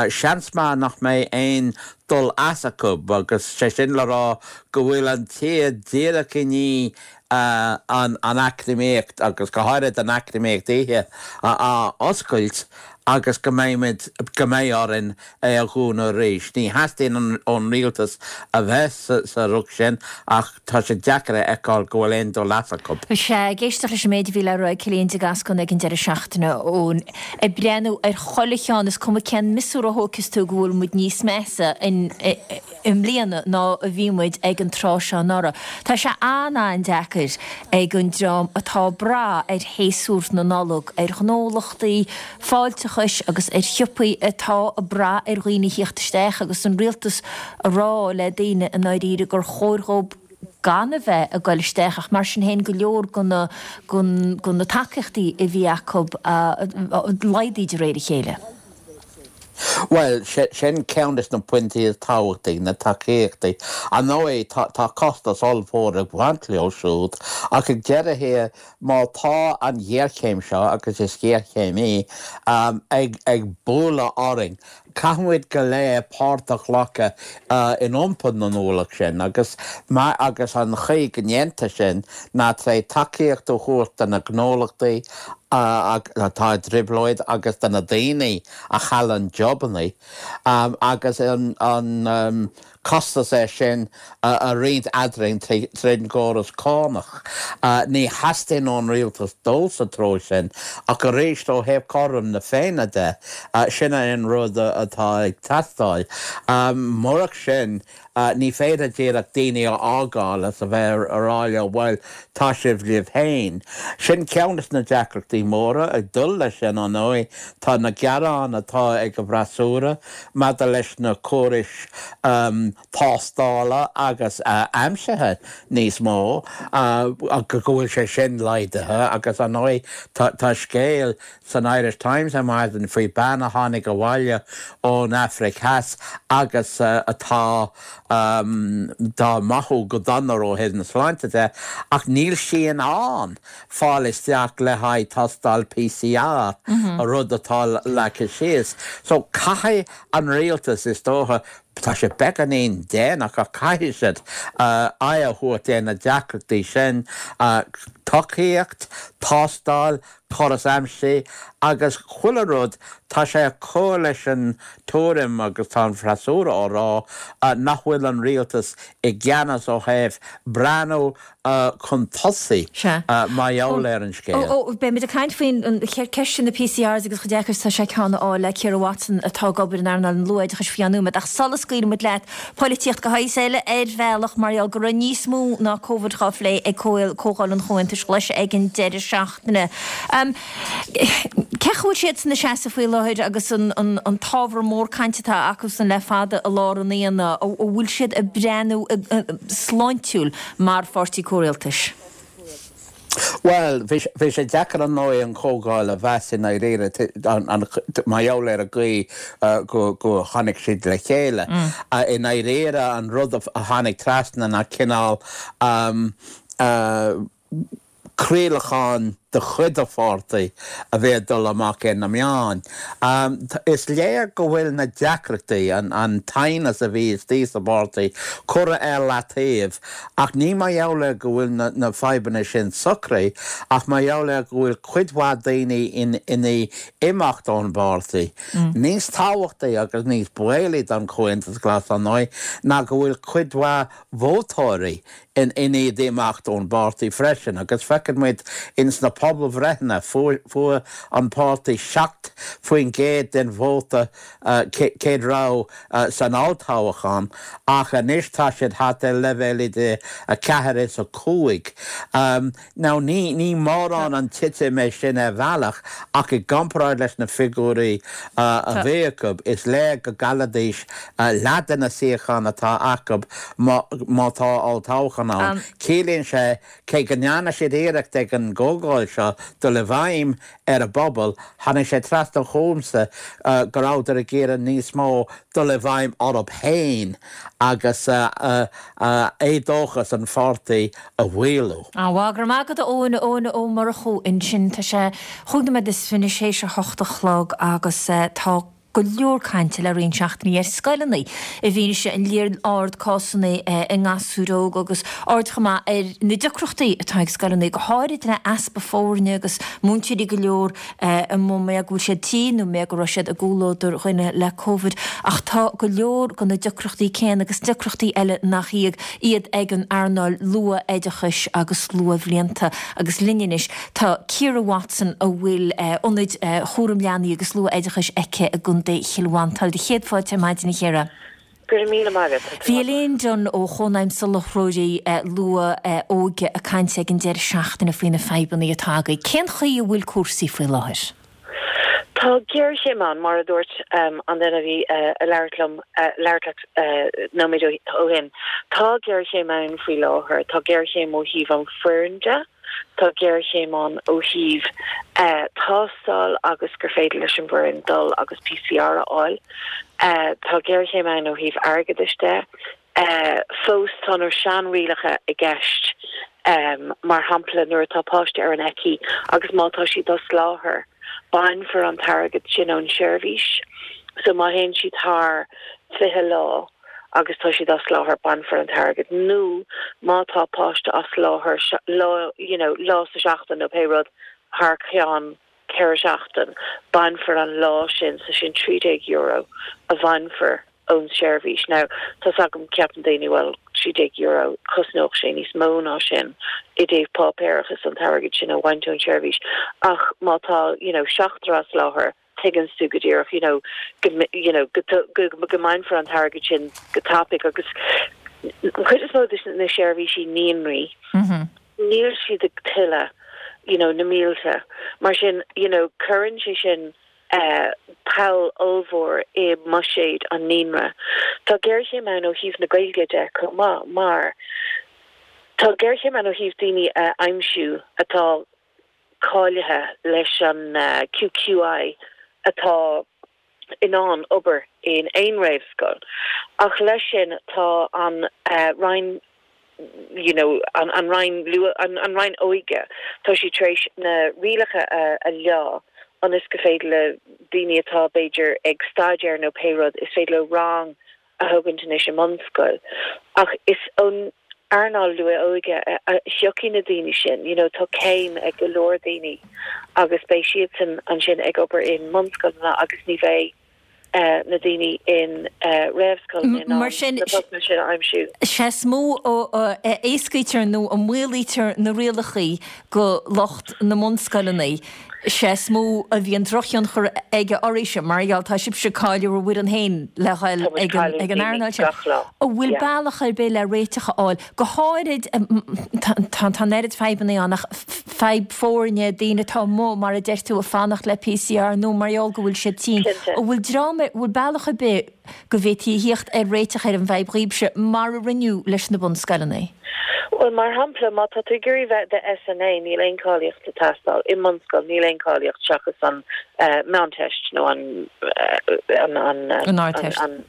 seans maith nach mbeidh aon dul as acu, agus sé sin le rá go bhfuil an tír díreach i ndiaidh an eacnamaíocht, agus go háirid an eacnamaíocht oíche, a oscailt agus go mbeimid, go mbeidh orainn é a dhúnadh arís. Ní theastaíonn ón rialtas a bheith sa riocht sin ach tá sé deacair a fheiceáil go bhfuil aon dul as acu. Sea, ag éisteacht leis an méid a bhí le rá ag Cillian de Gascun ag an deireadh seachtaine ón, ag breathnú ar chuile cheann, is cuma cén miosúr a thógfas tú go bhfuil muid níos measa in, i mbliana ná a bhí muid ag an tráth seo anuraidh. Tá sé an-an-deacair ag an dream atá ag brath ar shéasúr na Nollag, ar ghnólachtaí fáilteachais agus ar shiopaí atá ag brath ar dhaoine a thíocht isteach agus an rialtas a rá le daoine i ndáiríre gur chóir dhóibh gan a bheith ag goil isteach ach mar sin féin go leor de na de na tacaíochtaí a bhí acu laghdaithe de réir a chéile. Bhuel, sin ceann des na pointí is tábhachtaí, na tacaíochtaí. Ar ndóigh, tá costas ollmhór ag baint leo siúd, ach ag deireadh thiar, má tá an ghéarchéim seo, agus is géarchéim í, ag bualadh orainn, caithfimid go léir páirt a ghlacadh in iompar na n-ualach sin, agus agus an chaoi go ndéantar sin ná tré tacaíocht a thabhairt do na gnólachtaí atá i dtrioblóid agus do na daoine a chailleann jobanna agus an costas é sin a roinnt eadrainn tríd an gcóras cánach. Ní theastaíonn ón rialtas dul sa treo sin, ach arís ó thaobh cothrom na Féinne de, sin é an rud atá ag teastáil. Murach sin, ní féidir díreach daoine a fhágáil is a bheith a rá leo, bhuel, tá sibh libh féin. Sin ceann de na deacrachtaí móra. Ag dul leis sin, ar ndóigh, tá na gearáin atá ag an bhfreasúra maidir leis na córais tástála agus aimsithe níos mó, go bhfuil sé sin laghdaithe agus, ar ndóigh, tá scéal san Irish Times ar maidin faoi bean a tháinig abhaile ón Afraic Theas agus atá dá mathú go dona ó thaobh na sláinte de ach níl sí in ann fáil isteach le haghaidh tástáil PCR, rud atá leagtha síos. So caithfidh an rialtas, is dócha, tá sé beagáinín déanach ach caithfidh siad aghaidh a thabhairt ar na deacrachtaí sin, tacaíocht, tástáil, córas aimsithe agus chuile rud, tá sé ag cur leis an tuairim agus tá an freasúra á rá nach bhfuil an rialtas i gceannas ó thaobh breathnú chun tosaigh mar gheall ar an scéal. Ó, beimid ag caint faoin cheist sin na PCRs agus chomh deacair is atá sé ceann a fháil le Ciara Watson atá ag obair in earnáil an luathoideachais faoi cheann nóiméad. Ach sula scaoilfimid leat, polaitíocht de shaghas eile ar bhealach mar gheall go raibh níos mó ná Covid á phlé ag Comhdháil an Chomhaontais Ghlais ag an deireadh seachtaine. Cén chaoi a bhfuil siadsan ina seasamh faoi láthair agus an t-ábhar mór cainte atá acusan le fada i lár an aonaigh, an bhfuil siad ag breathnú sláintiúil mar pháirtí comhrialtais? Bhuel, bhí sé deacair ar ndóigh an chomhdháil a mheas i ndáiríre mar gheall ar an gcaoi go tháinig siad le chéile. I ndáiríre an rud a tháinig trasna ná cineál craolachán de chuid an pháirtí a bhí ag dul amach ar na meáin. Is léir go bhfuil na deacrachtaí, an t-aighneas a bhí istigh sa bpáirtí, curtha ar leataobh ach ní mar gheall ar go bhfuil na fadhbanna sin socraithe ach mar gheall ar go bhfuil cuid mhaith daoine i ndiaidh imeacht ón bpáirtí. Níos tábhachtaí agus níos baolaí don Chomhaontas Glas, ar ndóigh, ná go bhfuil cuid mhaith vótóirí i ndiaidh imeacht ón bpáirtí freisin agus feiceann muid ins na pobalbhreitheanna fuair an páirtí seacht faoin gcéad den vóta céad rogha san olltoghchán ach anois tá siad thart ar leibhéal idir a ceathair is a cúig. Now ní ní mórán an titim é sin ar bhealach ach i gcomparáid leis na figiúirí a bhí acu is léir go gcaillfidís leath de na suíocháin atá acu má tá olltoghchán ann. Ciallaíonn sé cé go ndearna siad iarracht ag an gcomhdháil seo dul i bhfeidhm ar an bpobal, tháinig sé trasna chugamsa go rabhadar ag iarraidh níos mó dul i bhfeidhm orthu féin agus éadóchas an pháirtí a mhaolú. Bhuel, go raibh maith agat a Eoin, Eoin Ó Murchú ansin. Tá sé chúig nóiméad is fiche théis a hocht a chlog agus tá go leor cainte le roinnt seachtainí ar scoileanna i bhfianaise an líon ard cásanna i ngasúir óga agus aird chomh maith ar na deacrachtaí atá ag scoileanna, go háirid le easpa foirne agus múinteoirí go leor amuigh mar go bhfuil siad tinn nó mar go raibh siad i gcomhluadar dhuine le Covid. Ach tá go leor de na deacrachtaí céanna agus deacrachtaí eile nach iad iad ag an earnáil luath-oideachais agus luathbhlianta agus linn anois tá Ciara Watson a bhfuil ionaid chúram leanaí agus luath-oideachais aici i gContae Chill Mhantáin. Do chéad fáilte ar maidin a Chiara. Go raibh míle maith agat. Bhí Elaine Dunne ó Chónaidhm Soláthróirí Luath-Óige ag caint ag an deireadh seachtaine faoi na fadhbanna atá agaibh. Cén chaoi a bhfuil cúrsaí faoi láthair? Tá géarchéim ann, mar a dúirt an duine a bhí ag labhairt liom, labhairt leat nóiméad ó shin. Tá géarchéim ann faoi láthair. Tá géarchéim ó thaobh an foireann de. Tá géarchéim ann ó thaobh tástáil agus gur féidir leis an bhfoireann dul agus PCR a fháil. Tá géarchéim ann ó thaobh airgeadais de. Fós tá na seanrialacha i gceist, mar shampla nuair atá páiste ar an ECHI agus má tá siad as láthair, bainfear an t-airgead sin ón seirbhís. So má théann siad thar fiche lá agus tá siad as láthair, bainfear an t-airgead. Nó má tá páiste as láthair lá, you know, lá sa seachtain nó pé rud thar ceann ceithre seachtain, bainfear an lá sin, so sin trí déag euro a bhainfear ón seirbhís. Now, tá's agam, ceapann daoine, bhuel, trí déag euro, chosnódh sé níos mó ná sin i dtaobh páipéarachas an t-airgead sin a bhaint ón seirbhís. Ach má tá, you know, seachtar as láthair, tuigeann tú go díreach, you know, go, you know, go, go, go mbainfear an t-airgead sin go tapaidh agus an chuid is mó de na seirbhísí naíonraí, níl siad ag tuilleadh, you know, na mílte. Mar sin, you know, cuireann sé sin poll ollmhór i mbuiséad an naíonra. Tá géarchéim ann ó thaobh na Gaeilge de chomh maith mar tá géarchéim ann ó thaobh daoine a aimsiú atá cáilithe leis an QQI atá in ann obair in aon réamhscoil. Ach leis sin tá an Roinn you know an an Roinn an an Roinn Óige tá sí tar éis na rialacha a a leá ionas go féidir le daoine atá b'fhéidir ag staidéar nó pé rud is féidir leo rang a thógaint anois i mbunscoil. Ach is ón earnáil luath-óige a thiocfaidh na daoine sin, you know tá céim ag go leor daoine agus beidh siadsan ansin ag obair i mbunscoileanna agus ní bheidh na daoine in réamhscoileanna in ann na postanna sin a aimsiú. Sé is mó a éascaítear nó a maolaítear na rialacha go lucht na mbunscoileanna, sé is mó a bhíonn drochthionchar aige oraibhse, mar gheall tá sibhse ag cailleadh bhur bhfoireann féin le dhul ag an earnáil sin. An bhfuil bealach ar bith le réiteach a fháil, go háirid tá an oiread fadhbanna ann ach fadhb foirne, daoine atá amuigh, mar a deir tú, ag fanacht le PCR nó mar gheall go bhfuil siad tinn. An bhfuil dream, an bhfuil bealach ar bith go bhféadfaí a thíocht ar réiteach ar an bhfadhb dhaoibhse, mar a rinneadh leis na bunscoileanna? Bhuel, mar shampla, má tá tú ag iarraidh bheith i do SNA, níl aon cáilíocht ag teastáil. I mbunscoil, níl aon cáilíocht seachas an Meánteist nó an, an, an, An Ardteist. an,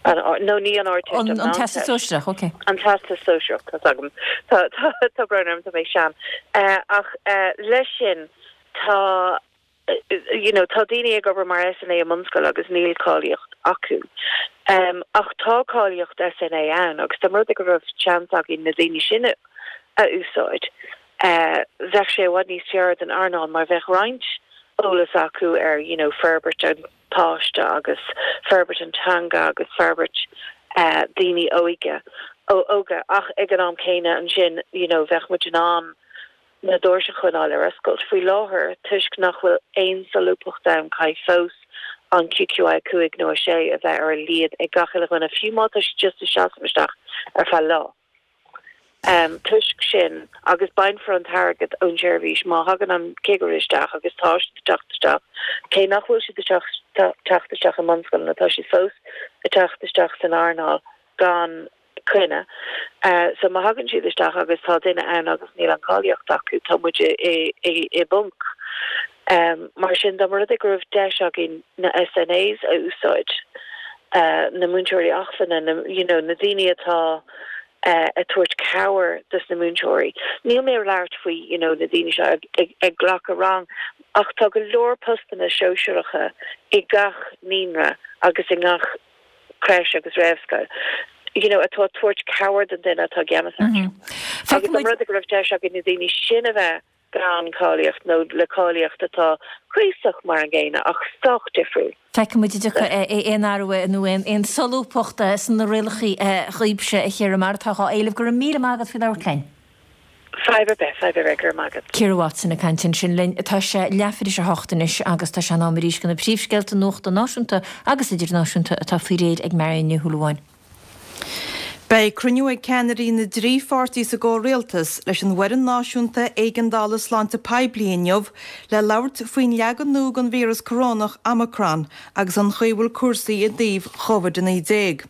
an, nó ní an Ardteist, an An Meánteist. Teastas Sóisearach, ok. An Teastas Sóisearach, tá's agam. Tá, tá, tá brón orm, tá mé sean. Ach leis sin, tá. you know tá daoine ag obair mar SNA i mbunscoil agus níl cáilíocht acu. Um, ach tá cáilíocht SNA ann agus dá mba rud é go raibh seans againn na daoine sin a úsáid, uh, bheadh sé i bhfad níos fearr don earnáil mar bheadh roinnt eolas acu ar you know, forbairt an páiste agus forbairt an teanga agus forbairt uh, daoine óige óga ach ag an am céanna ansin you know, bheadh muid in ann na doirse a choinneáil ar oscailt. Faoi láthair, toisc nach bhfuil aon solúbthacht ann, caithfidh fós an QQI a cúig nó a sé a bheith ar a laghad ag gach uile dhuine, fiú má tá siad just ag seasamh isteach ar feadh lá. Toisc sin, agus bainfear an t-airgead ón tseirbhís má thagann an cigire isteach, agus tá siad ag teacht isteach, cé nach bhfuil siad ag teacht isteach i mbunscoileanna, tá siad fós ag teacht isteach san earnáil gan coinne. So má thagann siad isteach agus tá duine ann agus níl an cáilíocht acu, tá muid i bponc. Mar sin, dá mba rud é go raibh deis againn na SNAs a úsáid, na múinteoirí acmhainne, na, you know, na daoine atá ag tabhairt cabhair dos na múinteoirí. Níl mé ag labhairt faoi, you know, na daoine seo ag, ag glacadh rang, ach tá go leor postanna sóisearacha i gach naíonra agus i ngach creche agus réamhscoil, you know, atá ag tabhairt cabhair don duine atá i gceannas orthu. Agus dá mba rud é go raibh deis againn na daoine sin a bheith gan cáilíocht nó le cáilíocht atá cuíosach mar an gcéanna ach sách difriúil. Feicfidh muid an dtiocfaidh aon athrú nó aon solúbthacht sna rialacha dhaoibhse, a Chiara, mar atá á éileamh. Go raibh míle maith agat faoi labhairt linn. Fadhb ar bith, fadhb ar bith, go raibh maith agat. Ciara Watson ag caint ansin linn. Tá sé leathuair théis a hocht anois agus tá sé in am arís do na príomhscéalta nuachta náisiúnta agus idirnáisiúnta atá faoi réir ag Marion Ní Shúilleabháin. Beidh cruinniú ag ceannairí na dtrí pháirtí sa gcomhrialtas leis an bhFoireann Náisiúnta Éigeandála Sláinte Poiblí inniu le labhairt faoin leagan nua den víreas corónach Omicron agus an chaoi a bhfuil cúrsaí i dtaobh Covid a naoi déag.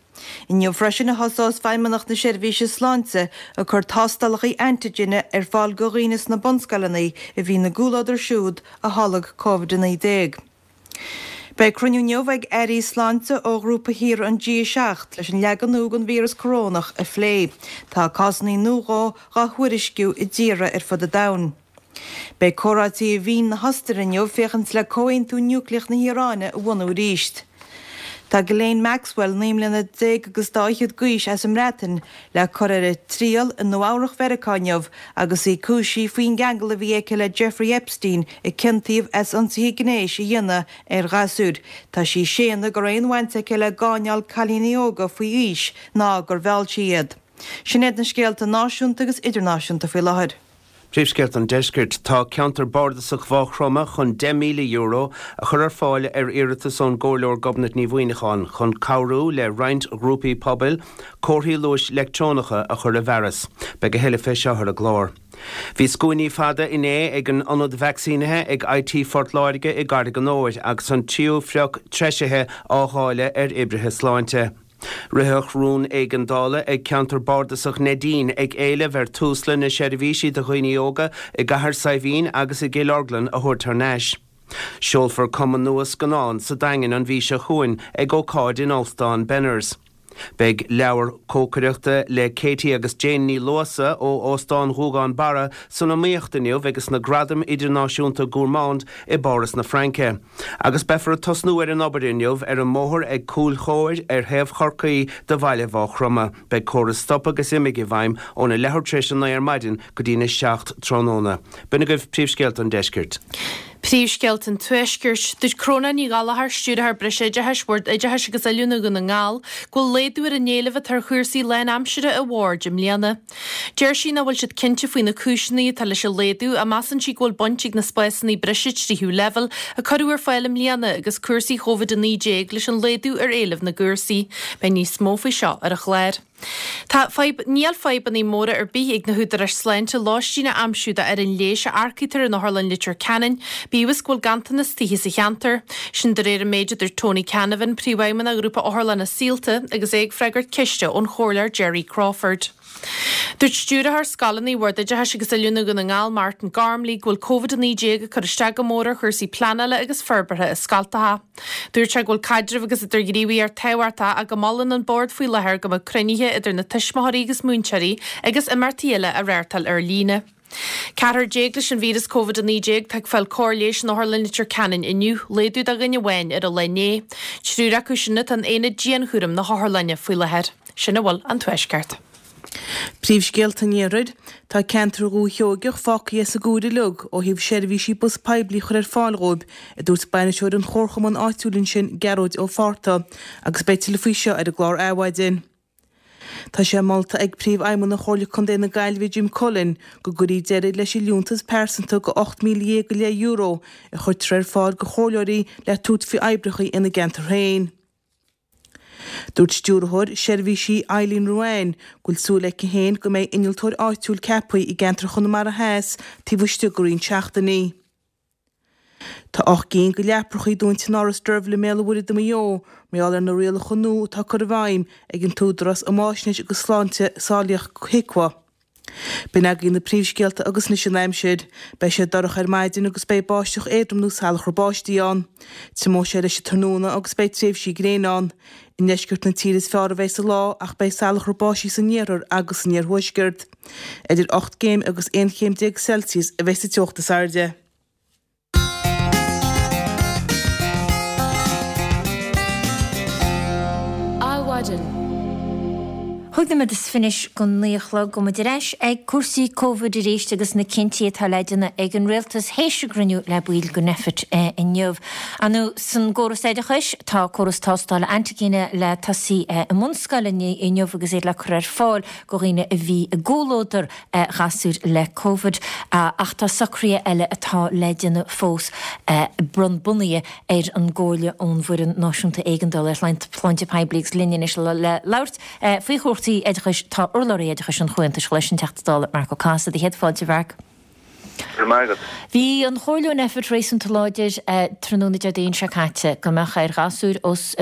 Inniu freisin a thosós Feidhmeannacht na Seirbhíse Sláinte ag cur tástálacha antigine ar fáil do dhaoine sna bunscoileanna a bhí ina gcomhluadar siúd a tholg Covid a naoi déag. Beidh cruinniú inniu ag airí sláinte ó ghrúpa thíortha an G a seacht leis an leagan nua den víreas corónach a phlé. Tá cásanna nua dhó dhá thuairisciú i dtíortha ar fud an domhain. Beidh comhráití i Vín na hOstaire inniu féachaint le comhaontú núicléach na hIaráine a bhunú arís. Tá Ghislaine Maxwell, naoi mbliana déag agus dá fhichead d'aois as an mBreatain, le cur ar a triail i Nua Eabhrach Mheiriceá inniu agus í cúisithe faoin gceangal a bhí aici le Jeffrey Epstein a ciontaíodh as ionsaithe gnéis a dhéanamh ar ghasúir. Tá sí ag séanadh go raibh aon bhaint aici le gáinneáil cailíní óga faoi aois ná gur mheall sí iad. Sin iad na scéalta náisiúnta agus idirnáisiúnta faoi láthair. Príomhscéalta an Deiscirt, Tá Ceantar Bardasach Mhaigh Chromtha chun deich míle euro a chur ar fáil ar iarratas ón gComhairleoir Gobnait Ní Mhuineacháin chun cabhrú le roinnt ghrúpaí pobail comharthaí luais leictreonacha a chur i bhfearas. Beidh a thuilleadh fé seo ar an gclár. Bhí scuainí fada inné ag an ionad vacsaínithe ag IT Phort Láirge i gCarraig an Óir agus an tríú sprioc treisithe á dháileadh ar oibrithe sláinte. Ritheadh rún éigeandála ag Ceantar Bardasach Neidín ag éileamh ar Tusla na seirbhísí do dhaoine óga i gCathair Saidhbhín agus i gCill Orglan a thabhairt thar n-ais. Seolfar cumann nua scannán sa Daingean an mhí seo chugainn ag ócáid in Óstán Benners. Beidh leabhar cócaireachta le Katie agus Jane Ní Luasa ó Óstán Ghuagán Barra san iomaíocht inniu ag na Gradaim Idirnáisiúnta Gourmand i bPáras na Fraince. Agus beifear ag tosnú ar an obair inniu ar an mbóthar ag Cúil Chóir ar thaobh Chorcaí de bhaile Mhaigh Chromtha. Beidh córas stop agus imigh i bhfeidhm óna leathuair tar éis a naoi ar maidin go dtína seacht tráthnóna. B'in agaibh príomhscéalta an deiscirt. Príomhscéalta an Tuaiscirt. Dúirt Cróna Ní Ghallchóir, Stiúrthóir Breisoideachais Bhord Oideachais agus Oiliúna Dhún na nGall, go bhfuil laghdú ar an éileamh atá ar chúrsaí lánaimseartha an Bhoird i mbliana. Deir sí nach bhfuil siad cinnte faoi na cúiseanna atá leis an laghdú ach measann sí go bhfuil baint ag na spásanna breise tríú leibhéal a cuireadh ar fáil i mbliana agus cúrsaí Covid a naoi déag leis an laghdú ar éileamh na gcúrsaí. Beidh níos mó faoi seo ar an chlár. Tá fadhb, níl fadhbanna móra ar bith ag na húdaráis sláinte lóistín a aimsiú d'fhoireann leighis a earcaítear in Otharlann Leitir Ceanainn, bíodh is go bhfuil ganntanas tithe sa cheantar. Sin de réir an méid a dúirt Tony Canavan, Príomhfheidhmeannach Ghrúpa Otharlanna Saolta, agus é ag freagairt ceiste ón Chomhairleoir Gerry Crawford. Dúirt Stiúrthóir Scoileanna Bhord Oideachais agus Oiliúna Dhún na nGall, Martin Gormley, go bhfuil Covid a naoi déag ag cur isteach go mór ar chúrsaí pleanála agus forbartha i scoltacha. Dúirt sé go bhfuil caidreamh agus idirghníomhaíocht tábhachtach ach go molann an Bord faoi láthair go mbeadh cruinnithe idir na tuismitheoirí agus múinteoirí agus imeachtaí eile á reáchtáil ar líne. Ceathrar déag leis an víreas Covid a naoi déag atá ag fáil cóir leighis in Otharlann Leitir Ceanainn inniu, laghdú de dhuine amháin ar an lá inné. Triúr acu sin atá in aonad dianchúraim na hotharlainne faoi láthair. Sin a bhfuil an Tuaisceart. Príomhscéalta an Iarthair, Tá ceantar Dhúiche Sheoigeach fágtha as an gcúr uilig ó thaobh seirbhísí bus poiblí a chur ar fáil dhóibh, a dúirt bainisteoir an chomharchumainn áitiúil ansin, Gearóid Ó Fátharta, agus beidh tuilleadh faoi seo ar an gclár Adhmhaidin. Tá sé molta ag Príomhfheidhmeannach Chomhairle Contae na Gaillimhe Jim Cullen go gcuirfí deireadh leis an liúntas pearsanta de ocht míle dhéag go leith euro a chuirtear ar fáil do chomhairleoirí le tabhairt faoi oibreacha ina gceantar féin. Dúirt Stiúrthóir Seirbhísí Eileen Ruane go bhfuil súil aici féin go mbeidh innealtóir áitiúil ceaptha i gceantar Chonamara Theas taobh istigh de roinnt seachtainí. Tá ocht gcinn de leaprachaí dúnta in Áras Deirbhile i mBéal an Mhuirthead i Maigh Eo mar gheall ar na rialacha nua atá curtha i bhfeidhm ag an tÚdarás um Fháisnéis agus Sláinte Sábháilteachta HIQA. B'in agaibh na príomhscéalta agus anois an aimsir. Beidh sé dorcha ar maidin agus beidh báisteach éadrom nó salachar báistí ann. Tiomóidh sé leis an tráthnóna agus beidh tréimhsí gréine ann. I ndeisceart na tíre is fearr a bheidh an lá ach beidh salachar báistí san iarthar agus san iarthuaisceart. Idir ocht gcéim agus aon chéim déag Celsius a bheidh sa teocht is airde. Adhmhaidin. Cúig nóiméad is fiche go naoi a chlog go muid ar ais ag cúrsaí Covid arís agus na cinntí atá le déanamh ag an Rialtas théis a gcruinniú le baill den Nphet inniu. Ar ndóigh san gcóras oideachais tá córas tástála antaigine le tosaí i mbunscoileanna inniu agus iad le cur ar fáil go dhaoine a bhí i gcomhluadar ghasúir le Covid ach tá socruithe eile atá le déanamh fós bunaithe ar an gcomhairle ón bhFoireann Náisiúnta Éigeandála ar Shláinte Poiblí agus linn anois le labhairt faoi chúrsaí oideachais tá urlabhraí oideachais an Chomhaontais Ghlais an Teachta Dála Marc Ó Cathasaigh. Céad fáilte, a Mharc. Go raibh maith agat. Bhí an chomhairle ón Nphet réasúnta láidir tráthnóna Déardaoin seo caite go mbeadh ar ghasúir os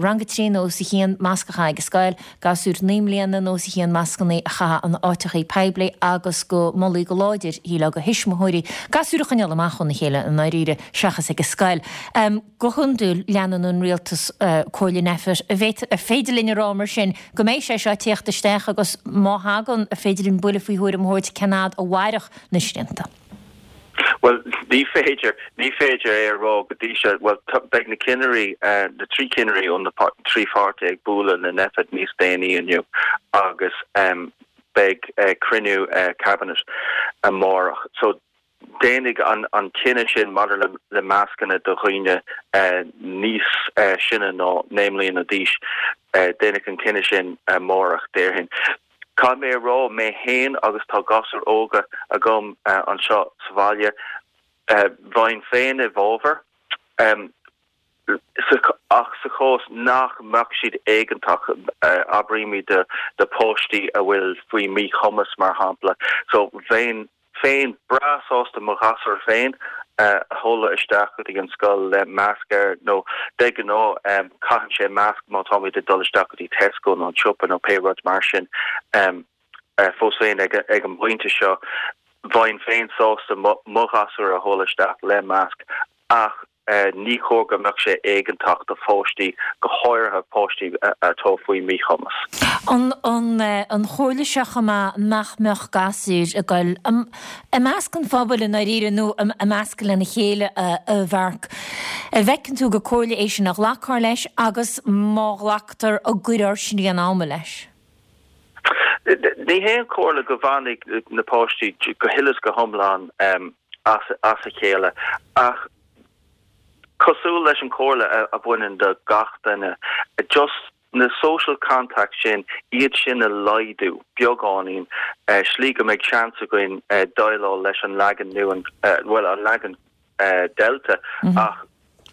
rang a trí nó os a chionn masc a chaitheamh ag an scoil, gasúir naoi mbliana nó os a chionn mascanna a chaitheamh in áiteachaí poiblí agus go molfaí go láidir, shílfeá, do thuismitheoirí gasúir a choinneáil amach óna chéile i ndáiríre seachas ag an scoil. Go hiondúil leanann an rialtas comhairle Nphet. An féidir linn a rá mar sin go mbeidh sé seo ag tíocht isteach agus má thagann, an féidir linn buille faoi thuairim a thabhairt cén fhad a mhairfeadh na srianta? Bhuel, ní féidir, ní féidir é a rá go dtí seo. Bhuel, beidh na cinnirí, na trí cinnirí ó na trí pháirtí ag bualadh le Nphet níos déanaí inniu agus beidh cruinniú Cabinet amárach. So, déanfaidh an cinneadh sin maidir le mascanna do dhaoine níos sine ná naoi mbliana d'aois, déanfaidh an cinneadh sin amárach, déarfainn. Caithfidh mé a rá, mé féin agus tá gasúir óga agam anseo sa bhaile, bheinn féin i bhfabhar, ach sa chás nach mbeadh siad éigeantach, abraímid do pháistí a bhfuil faoi mhíchumas mar shampla, so bheinn féin breá sásta mo ghasúr féin a sheoladh isteach go dtí an scoil le masc air nó de ghnáth caitheann sé masc má táimid ag dul isteach go dtí Tesco nó an siopa nó pé rud mar sin. Fós féin ag an bpointe seo bheinn féin sásta mo ghasúr a sheoladh isteach le masc ach Ní chóir go mbeadh sé éigeantach do pháistí, go háirithe páistí atá faoi mhíchumas. An chomhairle seo chomh maith nach mbeadh gasúir ag goil i measc an phobail i ndáiríre nó i measc lena chéile a Mharc. An bhfeiceann tú gur comhairle é sin a ghlacfar leis agus má ghlactar an gcuirfear srian ama leis? Ní hé an chomhairle go bhfanfaidh na páistí go huile is go hiomlán as a chéile ach cosúil leis an chomhairle a bhaineann do gach duine, just na social contacts sin, iad sin a laghdú beagáinín, slí go mbeidh seans againn déileáil leis an leagan nua, bhuel an leagan Delta ach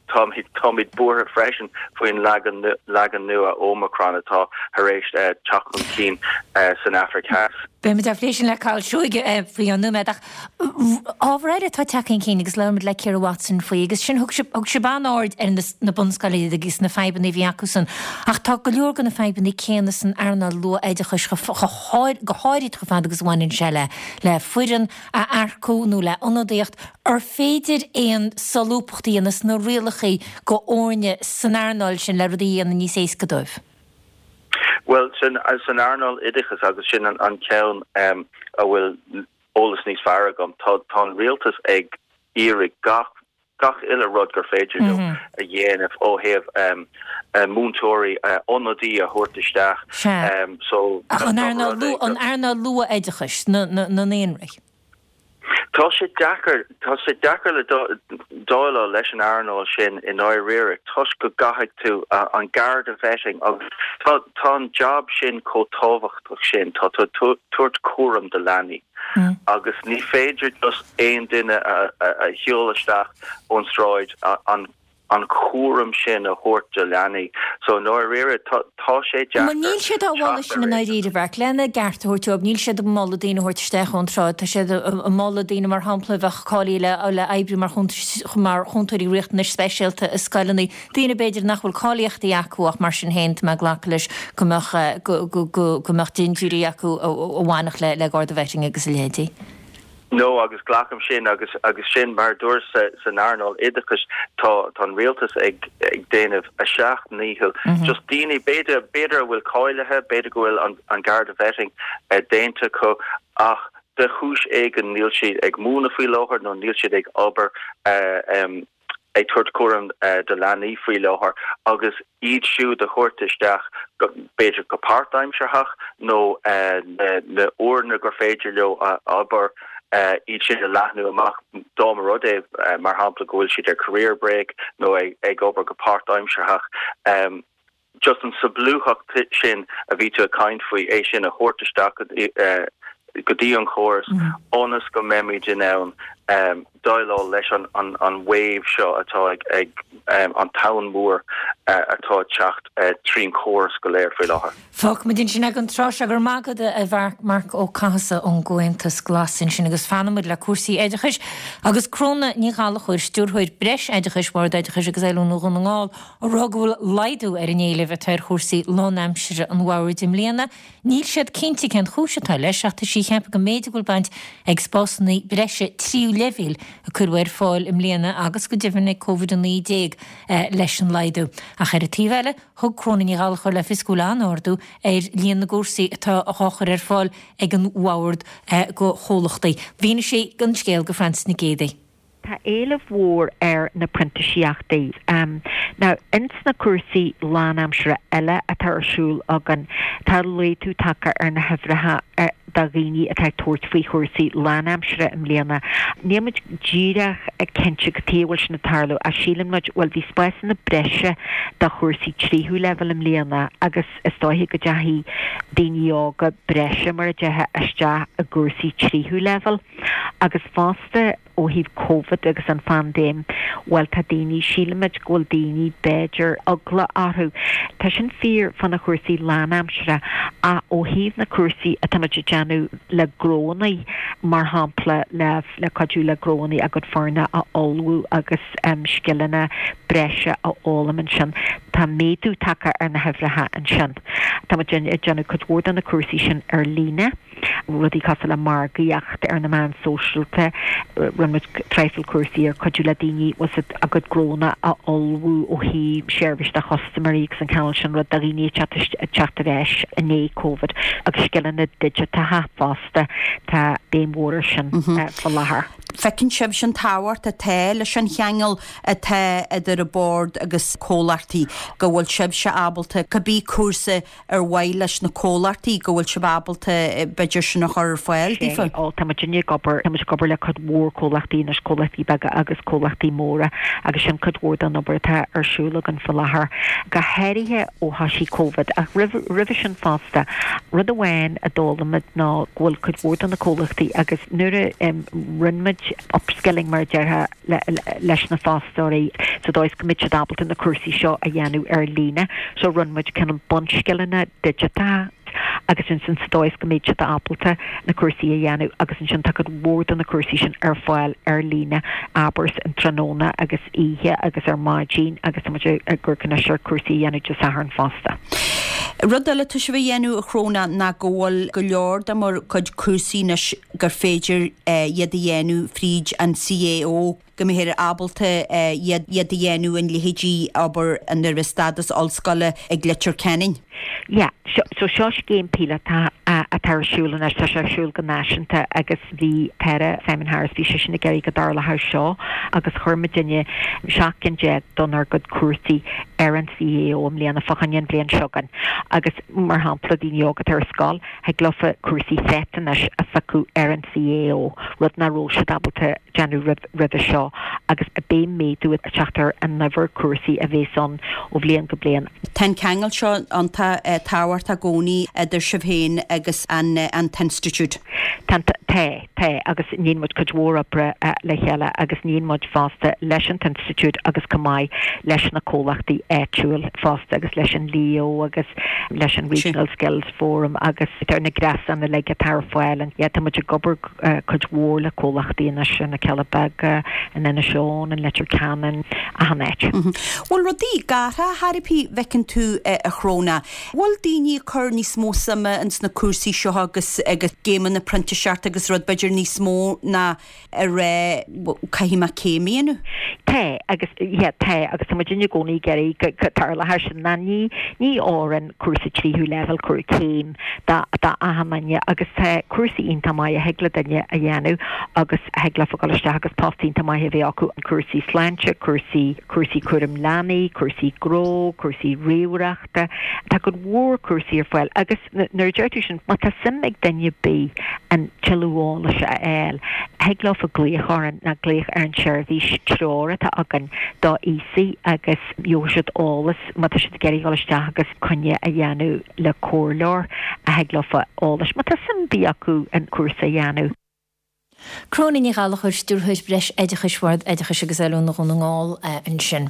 táimid, táimid buartha freisin faoin leagan, leagan nua Omicron atá tar éis teacht chun cinn san Afraic Theas. Beimid á phlé sin le Cathal Seoige faoi cheann nóiméad ach ábhar eile atá tagtha chun cinn agus labhair muid le Ciara Watson faoi agus sin thug sibh, thug sibh an-aird ar na bunscoileanna agus na fadhbanna a bhí acusan ach tá go leor de na fadhbanna céanna san earnáil luath-oideachais go háirid chomh fada agus a bhaineann sé le le foireann a earcú nó le ionadaíocht. Ar féidir aon solúbthacht a dhéanamh sna rialacha go fhoirne san earnáil sin le rudaí a dhéanamh níos éasca dóibh? Bhuel, san earnáil oideachais, agus sin an ceann a bhfuil eolas níos fearr agam, tá an rialtas ag iarraidh gach gach uile rud gur féidir leo a dhéanamh ó thaobh múinteoirí, ionadaí a thabhairt isteach. Sea. Ach an earnáil luath-oideachais, na naíonraí? Tá sé deacair tá sé deacair le déileáil leis an earnáil sin i ndáiríre toisc go gcaithfidh tú an Garda vetting agus tá tá an job sin chomh tábhachtach sin tá tú tabhairt cúram do leanaí agus ní féidir just aon duine a a sheoladh isteach ón sráid an an cúram sin a thabhairt do leanaí. So i ndáiríre tá tá sé deacair. Níl siad á mholadh sin i ndáiríre Mharc lena gceart a thabhairt dóibh, níl siad ag moladh daoine a thabhairt isteach ón tsráid, tá siad ag moladh daoine mar shampla a bheadh cáilithe le le oibriú mar mar chúntóirí riachtanais speisialta i scoileanna, daoine b'fhéidir nach bhfuil cáilíochtaí acu ach mar sin féin tá mé ag glacadh leis go mbeadh go go go go mbeadh dintiúirí acu a bhainfeadh le le Garda vetting agus a leithéidí. No agus glacaim sin agus agus sin mar dúirt san earnáil oideachais tá tá an rialtas ag ag déanamh a seacht ndícheall just daoine b'fhéidir b'fhéidir a bhfuil cáilithe b'fhéidir go bhfuil an an Garda vetting eh, déanta acu ach de chúis éigin níl siad ag múineadh faoi láthair nó níl siad ag obair uh, um, ag tabhairt cúram uh, do leanaí faoi láthair agus iad siúd a thabhairt isteach b'fhéidir go páirtaimsearthach nó uh, na, na uaireanta gur féidir leo uh, obair uh, iad sin a leathnú amach dá mba rud é uh, mar shampla go bhfuil siad ar career break nó ag, ag obair go páirtaimsearthach um, just an solúbthacht sin a bhí tú ag caint faoi é sin a thabhairt isteach uh, go dtí an chóras ionas go mbeimid in ann um, déileáil leis an, an, an wave seo atá ag, ag um, an tonn mór uh, atá teacht uh, trín chóras go léir faoi láthair. Fágfaimid ansin ag an tráth seo go raibh maith agat a Mharc Marc Ó Cathasaigh ón gComhaontas Glas ansin agus fanfaimid le cúrsaí oideachais agus Cróna Ní Ghallchóir stiúrthóir breisoideachais Bhord Oideachais agus Oiliúna Dhún na nGall á rá go bhfuil laghdú ar an éileamh atá ar chúrsaí lánaimseartha an bhoird i mbliana. Níl siad cinnte cén chúis atá leis ach tá sí ag ceapadh go mb'fhéidir go bhfuil baint ag spásanna breise tríú leibhéal a cuireadh ar fáil i mbliana agus go deimhin ag Covid a naoi déag leis an laghdú. Ach ar an taobh eile thug Cróna Ní Ghallchóir le fios go bhfuil an-ardú ar líon na gcúrsaí atá á chur ar fáil ag an bhord go chomhlachtaí. Mhínigh sí an scéal go Frances Nic Géadaigh. Tá éileamh mhór ar na printíseachtaí. Um, now ins na cúrsaí lánaimseartha eile atá ar siúl againn tá laghdú tagtha ar na huimhreacha do dhaoine atá ag tabhairt faoi chúrsaí lánaimseartha i mbliana. Níl muid díreach ag cinnte cad chuige a bhfuil sin ag tarlú a síleann muid bhuel bhí spásanna breise do chúrsaí tríú leibhéal i mbliana agus is dóiche go dteachaigh daoine óga breise mar a déarfá isteach i gcúrsaí tríú leibhéal agus fosta ó thaobh COVID agus an phaindéim, bhuel tá daoine sílimid go bhfuil daoine b'fhéidir eagla orthu. Tá sin fíor fá na cúrsaí lánaimseartha a ó thaobh na cúrsaí atáimid ag déanamh le gnónna mar shampla le le cuidiú le gnónna a gcuid foirne a ullmhú agus um, scileanna breise a fhoghlaim ansin. Tá méadú tagtha ar na huimhreacha ansin. Tá muid ag déanamh cuid mhór de na cúrsaí sin ar líne. rudaí cosúil le margaíocht ar na meáin sóisialta rinne muid traidhfil cúrsaí ar cuidiú le daoine was a gcuid gnónna a ullmhú ó thaobh seirbhís do chustaiméirí agus an cineál sin rud do dhaoine teacht ar ais i ndiaidh COVID agus scileanna digiteacha fosta tá béim mhór air sin faoi láthair. Feiceann sibh an tábhacht atá leis an cheangal atá idir an bord agus comhlachtaí go bhfuil sibhse ábalta cibé cúrsa ar mhaith leis na comhlachtaí go bhfuil sibh ábalta b'fhéidir sin a chur ar fáil daofa. Ó tá muid ag obair tá muid ag obair le cuid mhór comhlachtaí anois comhlachtaí beaga agus comhlachtaí móra agus sin cuid mhór den obair atá ar siúl againn faoi láthair go háirithe ó thosaigh COVID ach roimhe sin fosta rud amháin a d'fhoghlaim muid ná go bhfuil cuid mhór de na comhlachtaí agus nuair a rinne muid upskilling mar a déarfá leis na fostóirí sa dóigh go mbeadh siad ábalta na cúrsaí seo a dhéanamh ar líne so rinne muid cineál bunscileanna digiteacha agus ansin sa dóigh go mbeadh siad ábalta na cúrsaí a dhéanamh agus ansin tá cuid mhór de na cúrsaí sin ar fáil ar líne abair an tráthnóna agus oíche agus ar maidin agus tá muid ag cur anois ar cúrsaí a dhéanamh Dé Sathairn fosta. Rud eile tá sibh a dhéanamh a Chróna ná go bhfuil go leor de bhur gcuid cúrsaí anois gur féidir iad a dhéanamh fríd an CAO. go mbeifear ábalta iad a dhéanamh in leithéidí obair an raibh stádas ollscoile ag Leitir Ceanainn. Yeah, so seo scéim píolótach atá ar siúl anois, tá sé ar siúl go náisiúnta agus bhí tAire Simon Harris, bhí seisean ag iarraidh go dtarlódh seo agus chuir muidinne seacht gcinn déag dár gcuid cúrsaí ar an CAO i mbliana fá choinne an bhliain seo chugainn agus mar shampla daoine óga atá ar scoil, thig leofa cúrsaí FET anois a phiocadh ar an CAO, rud nach raibh siad ábalta déanamh roimhe seo agus beidh méadú ag teacht ar an uimhir cúrsaí a bhéas ann ó bhliain go bliain. Tá an ceangal seo iontach tábhachtach i gcónaí idir sibh féin agus an an t-institiúid. Tá, tá, tá agus níonn muid cuid mhór oibre le chéile agus níonn muid fosta leis an t-institiúid agus chomh maith leis na comhlachtaí áitiúil fosta agus leis an LEO agus leis an Regional Skills Forum agus ar na gréasáin uilig atá ar fáil. Yeah, tá muid ag obair cuid mhór le comhlachtaí anois na Cealla Beaga, in Inis Eoghain, in Leitir Ceanainn, achan áit. Bhfuil rudaí ag athrú ar bith bhfeiceann tú a Shróna? Bhfuil daoine ag cur níos mó suime ins na cúrsaí seo agus agus scéimeanna printíseachta agus rud b'fhéidir níos mó ná a rá caithfidh mé céim a dhéanamh? Tá agus yeah tá agus tá muid i gcónaí ag iarraidh go go dtarlódh sin ná ní ní fhóireann cúrsa tríú leibhéal cúr céim do do achan duine agus tá cúrsaí iontach maith a thig le duine a dhéanamh agus a thig leofa dul isteach agus post iontach maith a bheith acu, cúrsaí sláinte, cúrsaí cúrsaí cúram leanaí, cúrsaí gnó, cúrsaí ríomhaireachta, tá cuid mhór cúrsaí ar fáil agus nuair a deir tú sin, má tá suim ag duine ar bith an tuilleadh eolais a fháil, thig leofa glaoch orainn nó glaoch ar an tseirbhís treoir atá againn do aosaigh agus gheobhaidh siad eolas má tá siad ag iarraidh dul isteach agus coinne a dhéanamh le comhairleoir a thig leofa eolais má tá suim ar bith acu an cúrsa a dhéanamh. Cróna Ní Ghallchóir, Stiúrthóir Breis Oideachais Bhord Oideachais agus Oiliúna Dhún na nGall ansin.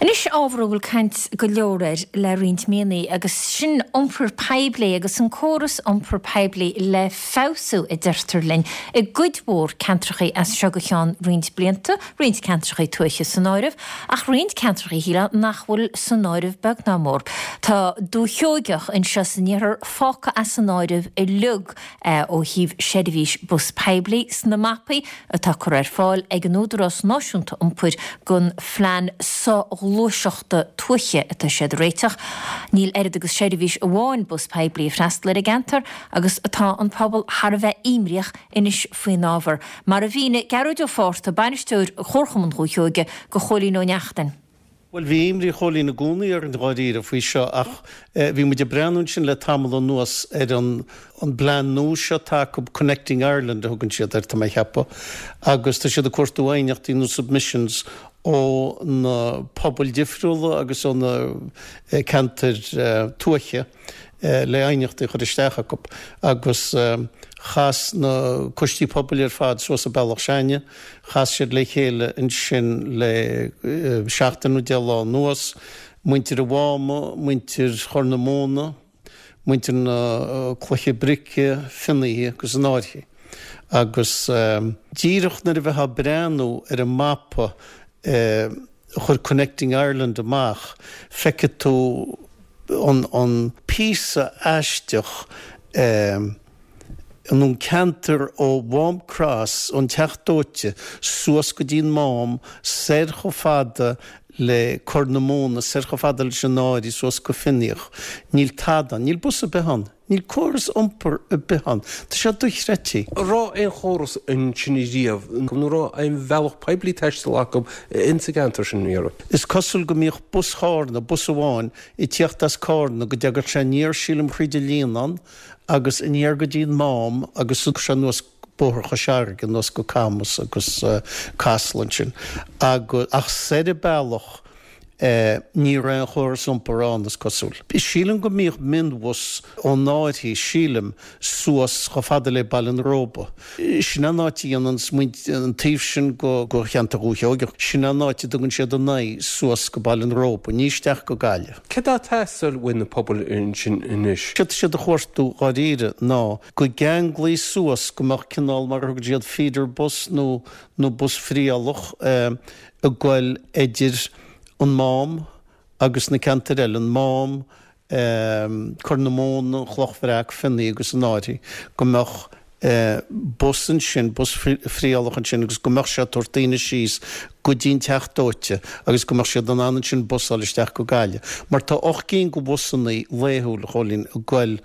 Anois ábhar a bhfuil caint go leor air le roinnt míonna agus sin iompar poiblí agus an córas iompar poiblí le feabhsú a deirtear linn i gcuid mhór ceantracha as seo go ceann roinnt blianta, roinnt ceantracha tuaithe san áireamh, ach roinnt ceantracha shílfeá nach bhfuil san áireamh beag ná mór. Tá Dúiche Sheoigeach anseo san iarthar fágtha as an áireamh uilig ó thaobh seirbhís bus poiblí sna mapaí atá curtha ar fáil ag an Údarás Náisiúnta Iompair don phlean soghluaiseachta tuaithe atá siad a réiteach. Níl oiread agus seirbhís amháin bus poiblí ag freastal ar an gceantar agus tá an pobal thar a bheith imníoch anois faoin ábhar, mar a mhínigh Gearóid Ó Fátharta, bainisteoir Chomharchumann Dhúiche Sheoige, do Chóilín Ó Neachtain. Bhuel, bhí imní Chóilín i gcónaí orainn dháiríre faoi seo ach bhí muid ag breathnú ansin le tamall anuas ar an an bplean nua seo atá acu, Connecting Ireland a thugann siad air, tá mé a cheapadh, agus tá siad ag cuartú aighneachtaí nó submissions ó na pobail difriúla agus ó na ceantair tuaithe. le aighneachtaí a chur isteach acu agus chas na coistí pobail ar fad suas i Bealach Seaighne, chas siad le chéile ansin le seachtain nó deich lá anuas, muintir an Mháma, muintir Chorr na Móna, muintir na Cloiche Brice, Finnaithe agus an Fhairche. Agus díreach nuair a bheifeá ag breathnú ar an mapa a chuir Connecting Ireland amach, feicfidh tú an píosa aisteach an an ceantar ó Mhám Cross, ón Teach Dóite, suas go dtí an Mám, soir chomh fada le Corr na Móna, soir chomh fada leis an Fhairche, suas go Fionnaíoch. Níl tada ann. Níl bus ar bith ann. Níl córas iompair ar bith ann. Tá sé dochreidte. An raibh aon chóras ansin riamh nó an raibh aon bhealach poiblí taistil acu insa gceantar sin riamh? Is cosúil go mbíodh bus Chárna, bus amháin, ag tíocht as Cárna go dtagadh sé aniar sílim thríd an Líonán agus aniar go dtí an Mám agus sé anuas Bóthar Chois Fharraige anuas go Camas agus Casla ansin. Ach soir an bealach Ní raibh aon chóras iompair ann, is cosúil. Sílim go mbíodh mionbhus ón Fhairche, sílim, suas chomh fada le Baile an Róba. Sin an áit a dhéanann an taobh sin de cheantar Dhúiche Sheoigeach, sin an áit a dtugann siad a n-aghaidh suas go Baile an Róba, ní isteach go Gaillimh. Céard atá ag teastáil uaidh na pobail ansin anois? Céard atá siad a chuartú dháiríre ná go gceanglaí suas go mbeadh cineál mar a thugann siad feeder bus nó nó bus friothálaithe ag goil idir an Mám agus na ceantair eile, an Mám, Corr na Móna, an Chloch Bhreac, Fionnaí agus an Fhairche, go mbeadh bus ansin, bus friothálacht ansin agus go mbeadh sé ag tabhairt daoine síos go dtí an teach dóite agus go mbeadh siad in ann ansin bus a fháil isteach go Gaillimh. Mar tá ocht gcinn de bhusannaí laethúil, a Chóilín, ag goil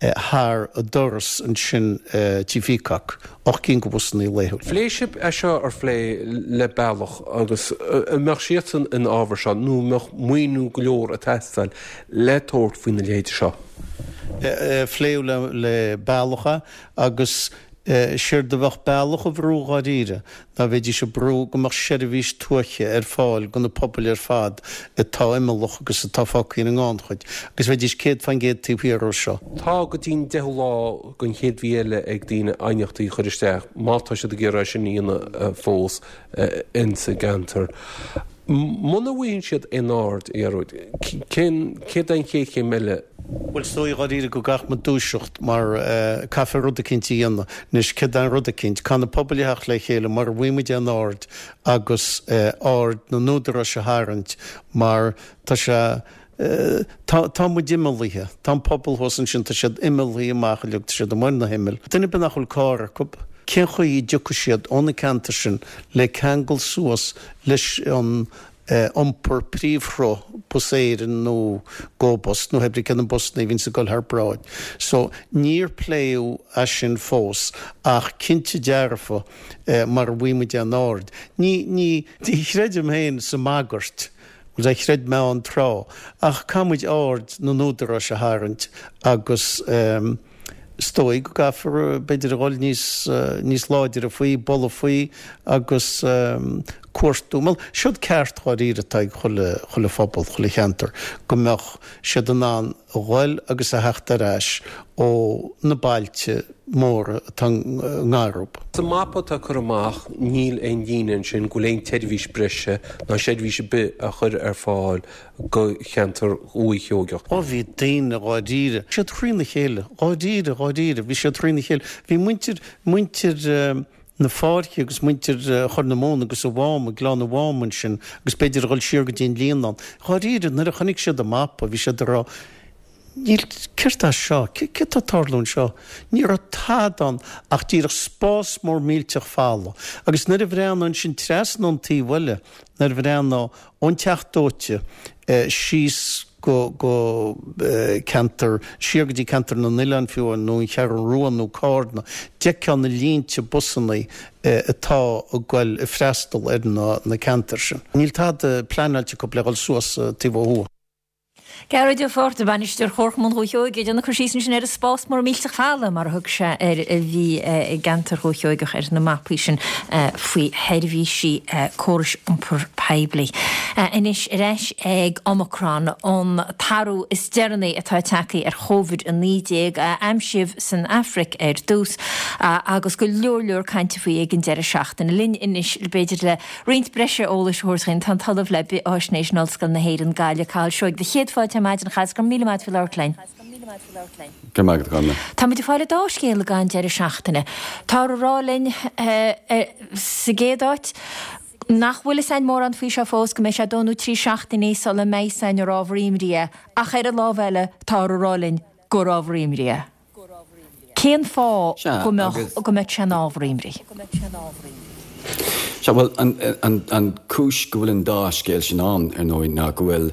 thar an doras ansin Tí Peacock, ocht gcinn de bhusannaí laethúil. Phléigh sibh é seo ar phlé le Bealach agus an mbeadh siadsan ina fhábhar seo nó an mbeadh maoiniú go leor ag teastáil le tabhairt faoina leithéid seo? Phléadh le Bealach é agus séard a bheadh Bealach a bhrú dháiríre ná bheidís ag brú go mbeadh seirbhís tuaithe ar fáil do na pobail ar fad atá imeallach agus atá fágtha ar an ngannchuid agus bheidís céad faoin gcéad taobh thiar dhó seo. Tá go dtí'n deichiú lá den chéad mhí eile ag daoine aighneachtaí a chur isteach má tá siad ag iarraidh sin a dhéanamh fós insa gceantar. Muna bhfaigheann siad aon aird, a Ghearóid, cén, céard é an chéad chéim eile? Bhuel, is dóigh dháiríre go gcaithfidh muid dúiseacht mar caithfear rud eicínt a dhéanamh. Anois, céard é an rud eicínt? Caithfidh na pobail a theacht le chéile mura bhfaighidh muid aon aird agus aird na n-údaráis a tharraingt mar tá sé, tá, tá muid imeallaithe. Tá an pobal thuas ansin, tá siad imeallaithe amach uilig, tá siad amuigh ar na himill. Duine ar bith nach bhfuil carr acu, Cén chaoi a dtiocfaidh siad ó na ceantair sin le ceangal suas leis an iompar príomhshruth, Bus Éireann nó Go Bus nó pé ar bith cé na busanna a bhíonns ag dul thar bráid. So, níor pléadh é sin fós ach cinnte dearfa mara bhfaighidh muid aon aird, ní, ní, ní chreidim féin sa mbagairt, bhuel, chreid mé ann tráth, ach caithfidh muid aird na n-údaráis a tharraingt agus eh, Is dóigh go gcaithfear, b'fhéidir, a dhul níos, níos láidre faoi, bualadh faoi agus cuartú. Bhuel, seod ceart dháiríre atá ag chuile, chuile phobal, chuile cheantar, go mbeadh siad in ann a dhul agus a theacht ar ais ó na bailte móra atá i ngar dóibh. Sa mapa atá curtha amach níl aon líne ansin go bhfuil aon tseirbhís breise ná seirbhís ar bith á chur ar fáil go cheantar Dhúiche Sheoigeach. Ó bhí daoine dháiríre, siad thrína chéile, dháiríre, dháiríre, bhí siad thrína chéile. Bhí muintir, muintir na Fáirche agus muintir Chorr na Móna agus an Mháma, Gleann an Mháma ansin agus b'fhéidir a dhul siar go dtí an Líonán. Dháiríre, nuair a chonaic siad an mapa, bhí siad ag rá, Níl, céard é seo? Céard tá ag tarlú anseo? Ní raibh tada ann ach díreach spás mór millteach folamh. Agus nuair a bhreathnófá ansin trasna ón taobh eile, nuair a bhreathnófá ón teach dóite síos go, go ceantar, siar go dtí ceantar na nOileán fiú amháin, nó an Cheathrú Rua nó Cárna, d'fheicfeá na línte busannaí atá ag goil ag freastal ar na ceantair sin. Níl tada pleanáilte acu le dhul suas taobh ó thuaidh. Gearóid Ó Fátharta, Bainisteoir Chomharchumann Dhúiche Sheoigheach, ag déanamh cur síos ansin ar an spás mór millteach folamh, mar a thug sé air, a bhí i gceantar Dhúiche Sheoigheach ar na mapaí sin faoi sheirbhísí córais iompair poiblí. Anois ar ais ag Omicron, an t-athrú is deireanaí atá tagtha ar Chóivid a naoi déag, a aimsíodh san Afraic ar dtús, agus go leor leor cainte faoi ag an deireadh seachtaine. Linn anois, b'fhéidir le Roinnt breise eolais a thabhairt dhúinn, tá an tOllamh le Bith-Fháisnéis in Ollscoil na hÉireann, Gaillimh, Cathal Seoighe. Céad fáilte ar maidin, a Chathail, go raibh míle maith agat faoi labhairt linn. Go raibh maith agat, a Chonla. Tá muid ag fáil an dá scéal ag an deireadh seachtaine. Táthar ag rá linn sa gcéad áit nach bhfuil fhios a'inn mórán faoi seo fós, go mbeidh sé dó nó trí seachtainí sula mbeidh fhios a'inn ar ábhar imní é, ach ar an lámh eile táthar ag rá linn gur ábhar imní é. Cén fáth Sea, go mbeadh agus. go mbeadh sé ina ábhar imní? Sea, bhuel, an, an, an cúis go bhfuil an dá scéal sin ann, ar ndóigh, ná go bhfuil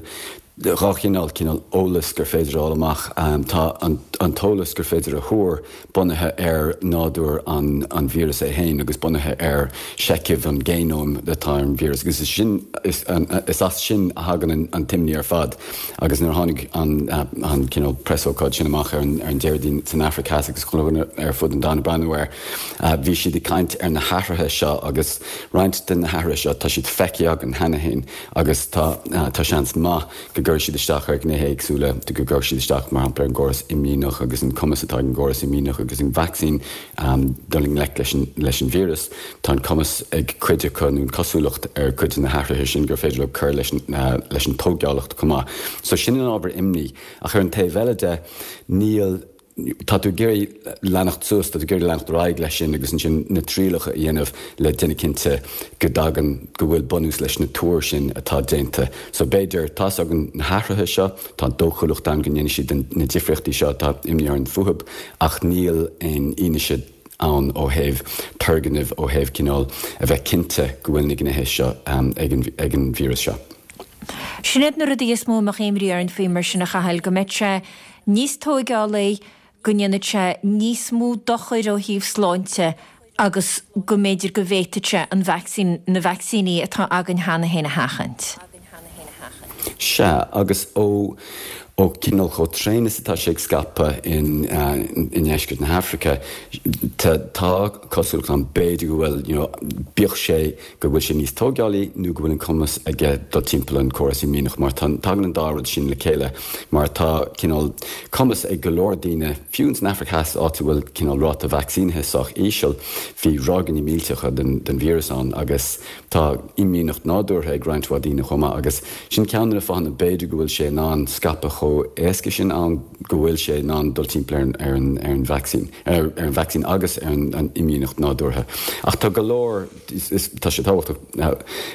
dhá chineál, cineál eolas gur féidir a fháil amach. Tá an, an t-eolas gur féidir a thuar bunaithe ar nádúr an, an víreas é féin agus bunaithe ar sheicheamh an ghéanóim atá ar an víreas agus is sin, is, an, is as sin a thagann an, an t-imní ar fad. Agus nuair a tháinig an, an cineál preasócáid sin amach ar an, ar an Déardaoin san Afraic Theas agus chuile dhuine ar fud an domhain ag breathnú air, bhí siad ag caint ar na hathruithe seo agus roinnt de na hathruithe seo tá siad feicthe againn cheana féin agus tá, tá seans maith go gcuirfidh siad isteach ar ghnéithe éagsúla, go gcuirfidh siad isteach mar shampla ar an gcóras imdhíonach agus an cumas atá ag an gcóras imdhíonach agus an vacsaín dul i ngleic leis an, leis an víreas. Tá an cumas ag cuid acu, nó an cosúlacht ar cuid de na hathruithe sin gur féidir leo cur leis an, leis an tógálacht chomh maith. So sin an ábhar imní. Ach ar an taobh eile de, níl, tá tú ag iarraidh leanacht suas, tá tú ag iarraidh leanacht ar aghaidh leis sin agus ansin na trialacha a dhéanamh le déanamh cinnte go dtagann, go bhfuil bunús leis na tuair sin atá déanta. So b'fhéidir, tá's againn na hathruithe seo, tá dóchúlacht ann go ndéanfaidh siad na difríochtaí seo atá imní orainn fúthub ach níl aon fhianaise ann ó thaobh turgnaimh, ó thaobh cineál a bheith cinnte go bhfuil na gnéithe seo ag an ag an víreas seo. Sin iad na rudaí is mó a mbeadh imní orainn faoi mar sin a Chathail, go mbeidh sé níos tóigeálaí, go ndéanfaidh sé níos mó dochair ó thaobh sláinte agus go mb'fhéidir go bhféadfadh sé an vacsaín, na vacsaíní atá againn cheana féin a sheachaint. Sea, agus ó ó cineál chomh tréan is atá sé ag scaipeadh in i ndeisceart na hAfraice, tá tá cosúlacht ann b'fhéidir go bhfuil, you know, bíodh sé go bhfuil sé níos tóigeálaí nó go bhfuil an cumas aige dul timpeall an córas imdhíonach mar tá tagann an dá rud sin le chéile mar tá cineál cumas ag go leor daoine, fiú ins an Afraic Theas áit a bhfuil cineál ráta vacsaínithe sách íseal, bhí ráigeanna millteacha den den víreas ann agus tá imdhíonacht nádúrtha ag roinnt mhaith daoine chomh maith agus sin ceann de na fáthanna b'fhéidir go bhfuil sé in ann scaipeadh chomh éasca sin ann, go bhfuil sé in ann dul timpeall ar an ar an vacsaín, ar an vacsaín agus ar an imdhíonacht nádúrtha. Ach tá go leor, tá sé tábhachtach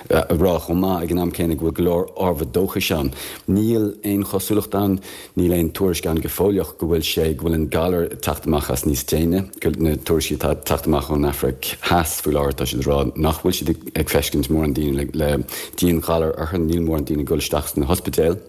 a rá chomh maith ag an am céanna go bhfuil go leor ábhar dóchais ann. Níl aon chosúlacht ann, níl aon tuairisc ann go fóilleach go bhfuil sé, go bhfuil an galar ag teacht amach as níos déine. Na tuairiscí atá ag teacht amach ón Afraic Theas faoi láthair, tá siad ag rá nach bhfuil siad ag feiscint mórán daoine le dianghalar orthu, níl mórán daoine ag dul isteach sna hospidéil.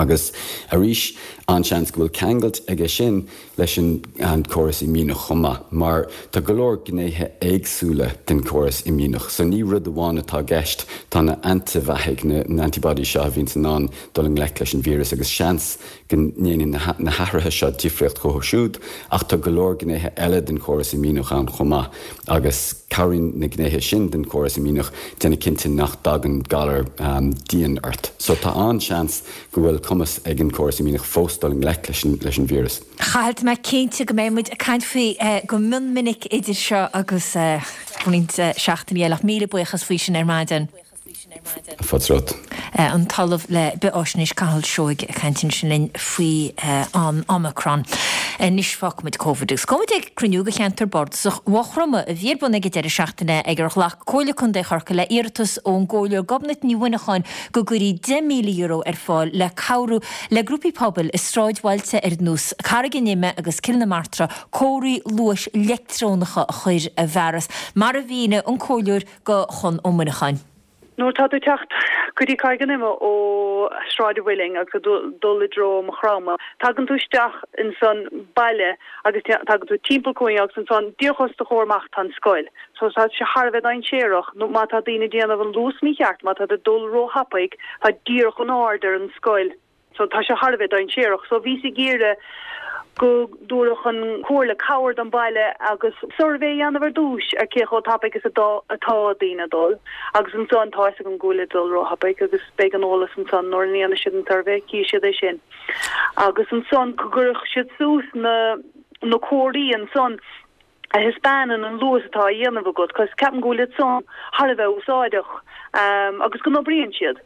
Agus arís, an-seans go bhfuil ceangailt aige sin leis an córas imdhíonach chomh maith, mar tá go leor gnéithe éagsúla den chóras imdhíonach. So ní rud amháin atá i gceist, tá na antaibheathaigh, na antibodies seo a bhíonns in ann dul i ngleic leis an víreas agus seans go ndéanann na hathruithe seo difríocht dhóibh siúd, ach tá go leor gnéithe eile den chóras imdhíonach ann chomh maith agus cabhraíonn na gnéithe sin den chóras imdhíonach déanamh cinnte nach dtagann galar dian ort. So tá an-seans go bhfuil cumas ag an gcóras imdhíonach fós dul i ngleic leis an víreas. Chathail, tá mé cinnte go mbeidh muid ag caint faoi go mion minic idir seo agus roinnt seachtainí eile ach míle buíochas faoi sin ar maidin. Fáilte romhat. An tOllamh le Bith-Fháisnéis Cathal Seoighe ag caint ansin linn faoi an Omicron. Anois fágfaimid Covid agus gabhfaimid ag cruinniú de Cheantar Bardasach Mhaigh Chromtha a bhí ar bun ag an deireadh seachtaine ag ar ghlac Comhairle Contae Chorcaí le iarratas ón gComhairleoir Gobnait Ní Mhuineacháin go gcuirfí deich míle euro ar fáil le cabhrú le grúpaí pobail i sráidbhailte ar nós Carraig an Ime agus Cill na Martra comharthaí luais leictreonacha a chur i bhfearas, mar a mhínigh an Comhairleoir do Chon Ó Muineacháin. Nuair atá tú ag teacht go dtí Carraig an Ime ó Sráid an Mhuilinn agus ag dul i dtreo Maigh Chromtha, tagann tú isteach insan baile agus tagann tú timpeall cúinne agus ansan díreach os do chomhair amach tá an scoil. So tá sé thar a bheith dainséarach nó má tá daoine ag déanamh an luas mícheart, má tá tú ag dul ró-thapaidh, tá díreach in airde ar an scoil. So tá sé thar a bheith dainséarach. So bhíos ag iarraidh go dtabharfadh an Chomhairle cabhair don bhaile agus suirbhé a dhéanamh ar dtúis ar cé chomh tapaidh is atá daoine ag dul agus ansan tá fhios agam go bhfuil ag dul róthapaidh agus beidh an eolas ansan nuair a dhéanfaidh siad an suirbhé, cífidh siad é sin. Agus ansan go gcuirfeadh siad suas na na comharthaí ansan a thaispeánann an luas atá á dhéanamh agat, cos ceapaim go bhfuil iad san thar a bheith úsáideach agus go n-oibríonn siad.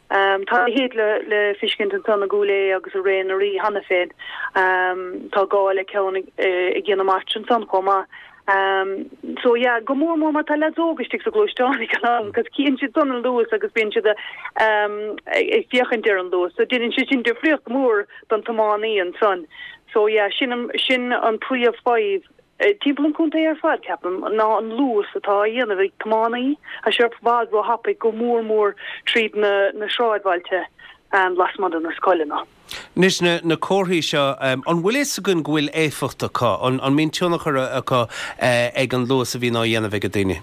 Tá a leithéid le feiscint ansan i gCúil Aodha agus i Ré na Rí cheana féin. Tá gá le ceann i gCill na Martra ansan chomh maith. So yeah, go mór mór mar tá leaids óga istigh sa ghluaisteán ag an am cos cíonn siad san an luas agus bíonn siad ag féachaint ar an luas. So déanann sé sin difríocht mhór don tiománaí ansan. So yeah, sin sin an príomh-fhadhb timpeall an chontae ar fad, ceapaim, ná an luas atá á dhéanamh ag tiománaí, tá sé i bhfad ró-thapaidh go mór mór tríd na na sráidbhailte lasmuigh de na scoileanna. Anois, na na comharthaí seo, an bhfuil fhios againn go bhfuil éifeacht acu? An an mbíonn tionchar acu ag an luas a bhíonn á dhéanamh ag daoine?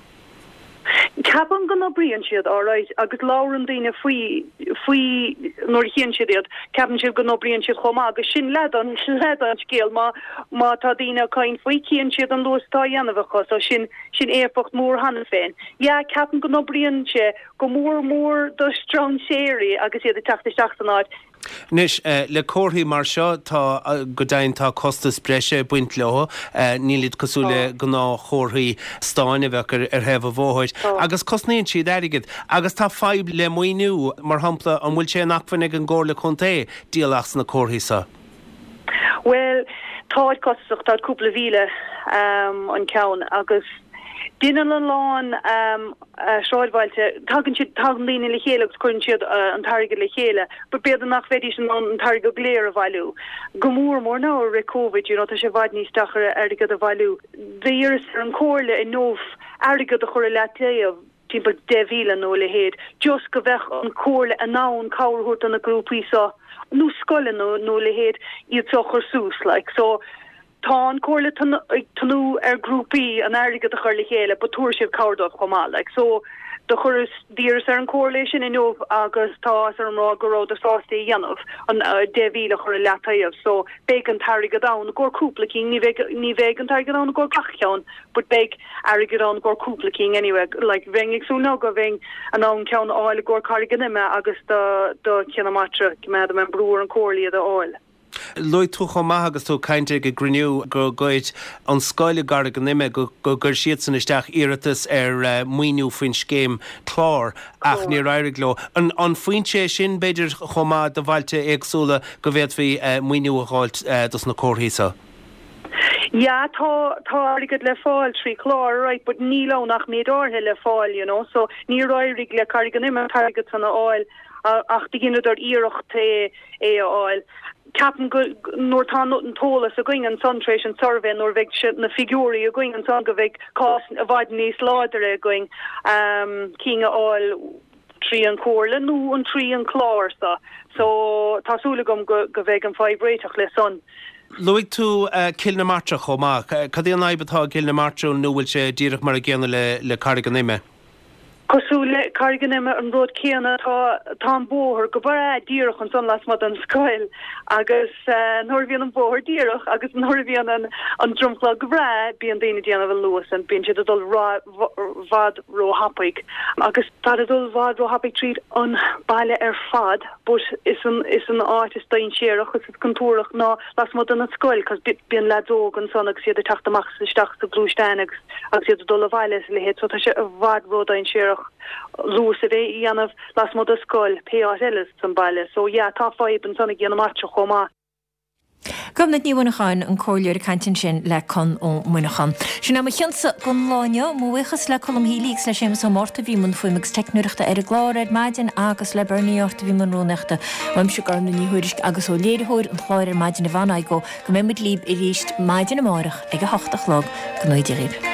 Ceapaim go n-oibríonn siad alright agus labhrann daoine faoi faoi nuair a chíonn siad iad, ceapann siad go n-oibríonn siad chomh maith agus sin leath den leath den scéal má má tá daoine ag caint faoi cíonn siad an luas atá á dhéanamh acu so sin sin éifeacht mór cheana féin. Yeah ceapaim go n-oibríonn sé go mór mór do strainséirí agus iad ag teacht isteach san áit. Anois, le comharthaí mar seo, tá, go deimhin, tá costas breise ag baint leo. Nílid cosúil le gnáthchomharthaí stáin a bheadh ar thaobh an bhóthair. Agus cosnaíonn siad airgead. Agus tá fadhb le maoiniú. Mar shampla, an bhfuil sé in acmhainn ag an gComhairle Contae díol as na comharthaí seo? Bhuel, táid costasach, táid cúpla mhíle an ceann agus Déanann a lán sráidbhailte, tagann siad, tagann daoine le chéile agus cuireann siad an t-airgead le chéile, but b'fhéidir nach mbeidís in ann an t-airgead go léir a bhailiú. Go mór mór now i rith Covid, you know, tá sé i bhfad níos deacair airgead a bhailiú. D'iarras ar an Chomhairle inniu airgead a chur i leataobh, timpeall deich mhíle nó a leithéid, just go bheadh an Chomhairle in ann cabhair a thabhairt do na grúpaí seo, nó scoileanna nó a leithéid, iad seo a chur suas, like. So, Tá an Chomhairle ag tnúth ar grúpaí an airgead a chur le chéile but tabharfaidh siad cabhair dóibh chomh maith like so do chuireas d'iarras ar an Chomhairle é sin inniu agus tá áthas orm rá go rabhadar sásta é a dhéanamh an deich mhíle a chur i leataobh so beidh an t-airgead ann i gcomhair cúpla cinn ní bheidh ní bheidh an t-airgead ann i gcomhair gach ceann but beidh airgead ann i gcomhair cúpla cinn anyway like bheinn ag súil now go mbeinn in ann ceann a fháil i gcomhair Carraig an Ime agus do do Chill na Martra coimeádfaidh mé an brú ar an Chomhairle iad a fháil. Luaigh tú chomh maith agus tú ag caint ag an gcruinniú go gcuir an scoil i gCarraig an Ime, go gcuir siadsan isteach iarratas ar maoiniú faoin scéim clár ach níor éirigh leo. An foinse é sin, b'fhéidir, chomh maith do bhailte éagsúla go bhféadfaí maoiniú a dh'fháilt dos na comharthaí seo? Yeah, tá, tá airgead le fáil trí chlár, right, but níl ann ach méid áirithe le fáil, you know, so níor éirigh le Carraig an Ime an t-airgead san a fháil ach do dheineadar iarracht é é a fháil. Ceapaim go, nuair tá an t-eolas againn ansan tar éis an suirbhé, nuair a bheidh na figiúirí againn ansan go bheidh cás i bhfad níos láidire againn cinn a fháil trí an Chomhairle nó an trí an clár so. So tá súil agam go go bheidh an fadhb réiteach le san. Luaigh tú Cill na Martra chomh maith. Cad é an fhadhb atá i gCill na Martra nó bhfuil sé díreach mar an gcéanna le le Carraig an Ime? Cosúil le Carraig an Ime an rud céanna tá tá an bóthar go breá díreach ansan lasmuigh den scoil agus nuair a bhíonn an bóthar díreach agus nuair a bhíonn an an dromchla go breá bíonn daoine ag déanamh an luas and bíonn siad ag dul bhfad ró-thapaidh agus táid ag dul bhfad ró-thapaidh tríd an baile ar fad but is an is an áit is dainséarach is is contúirteach ná lasmuigh den scoil cos bíonn leaids óg ansan agus iad ag teacht amach is isteach sa gluaisteán agus agus iad ag dul abhaile is a leithéid so tá sé i bhfad ró-dainséarach luas a bheith a dhéanamh lasmuigh de scoil pé áit eile san baile so yeah tá fadhb ansan i gCill na Martra chomh maith. Gobnait Ní Mhuineacháin, an comhairleoir ag caint ansin le Conn Ó Muineacháin. Sin é mo chionsa don lá inniu. Mo bhuíochas le Colm Healy agus le Séamus Ó Márta a bhí i mbun fuaime agus teicneoireachta ar an gclár ar maidin agus le Bernie Ort a bhí i mbun rúnaíochta. Uaimse Gormlaith Ní Thuairisg agus ó léiritheoir an chláir ar maidin Yvonne Igoe go mbeidh muid libh arís maidin amárach ag a hocht a chlog. Go ngnóthaí Dia dhaoibh.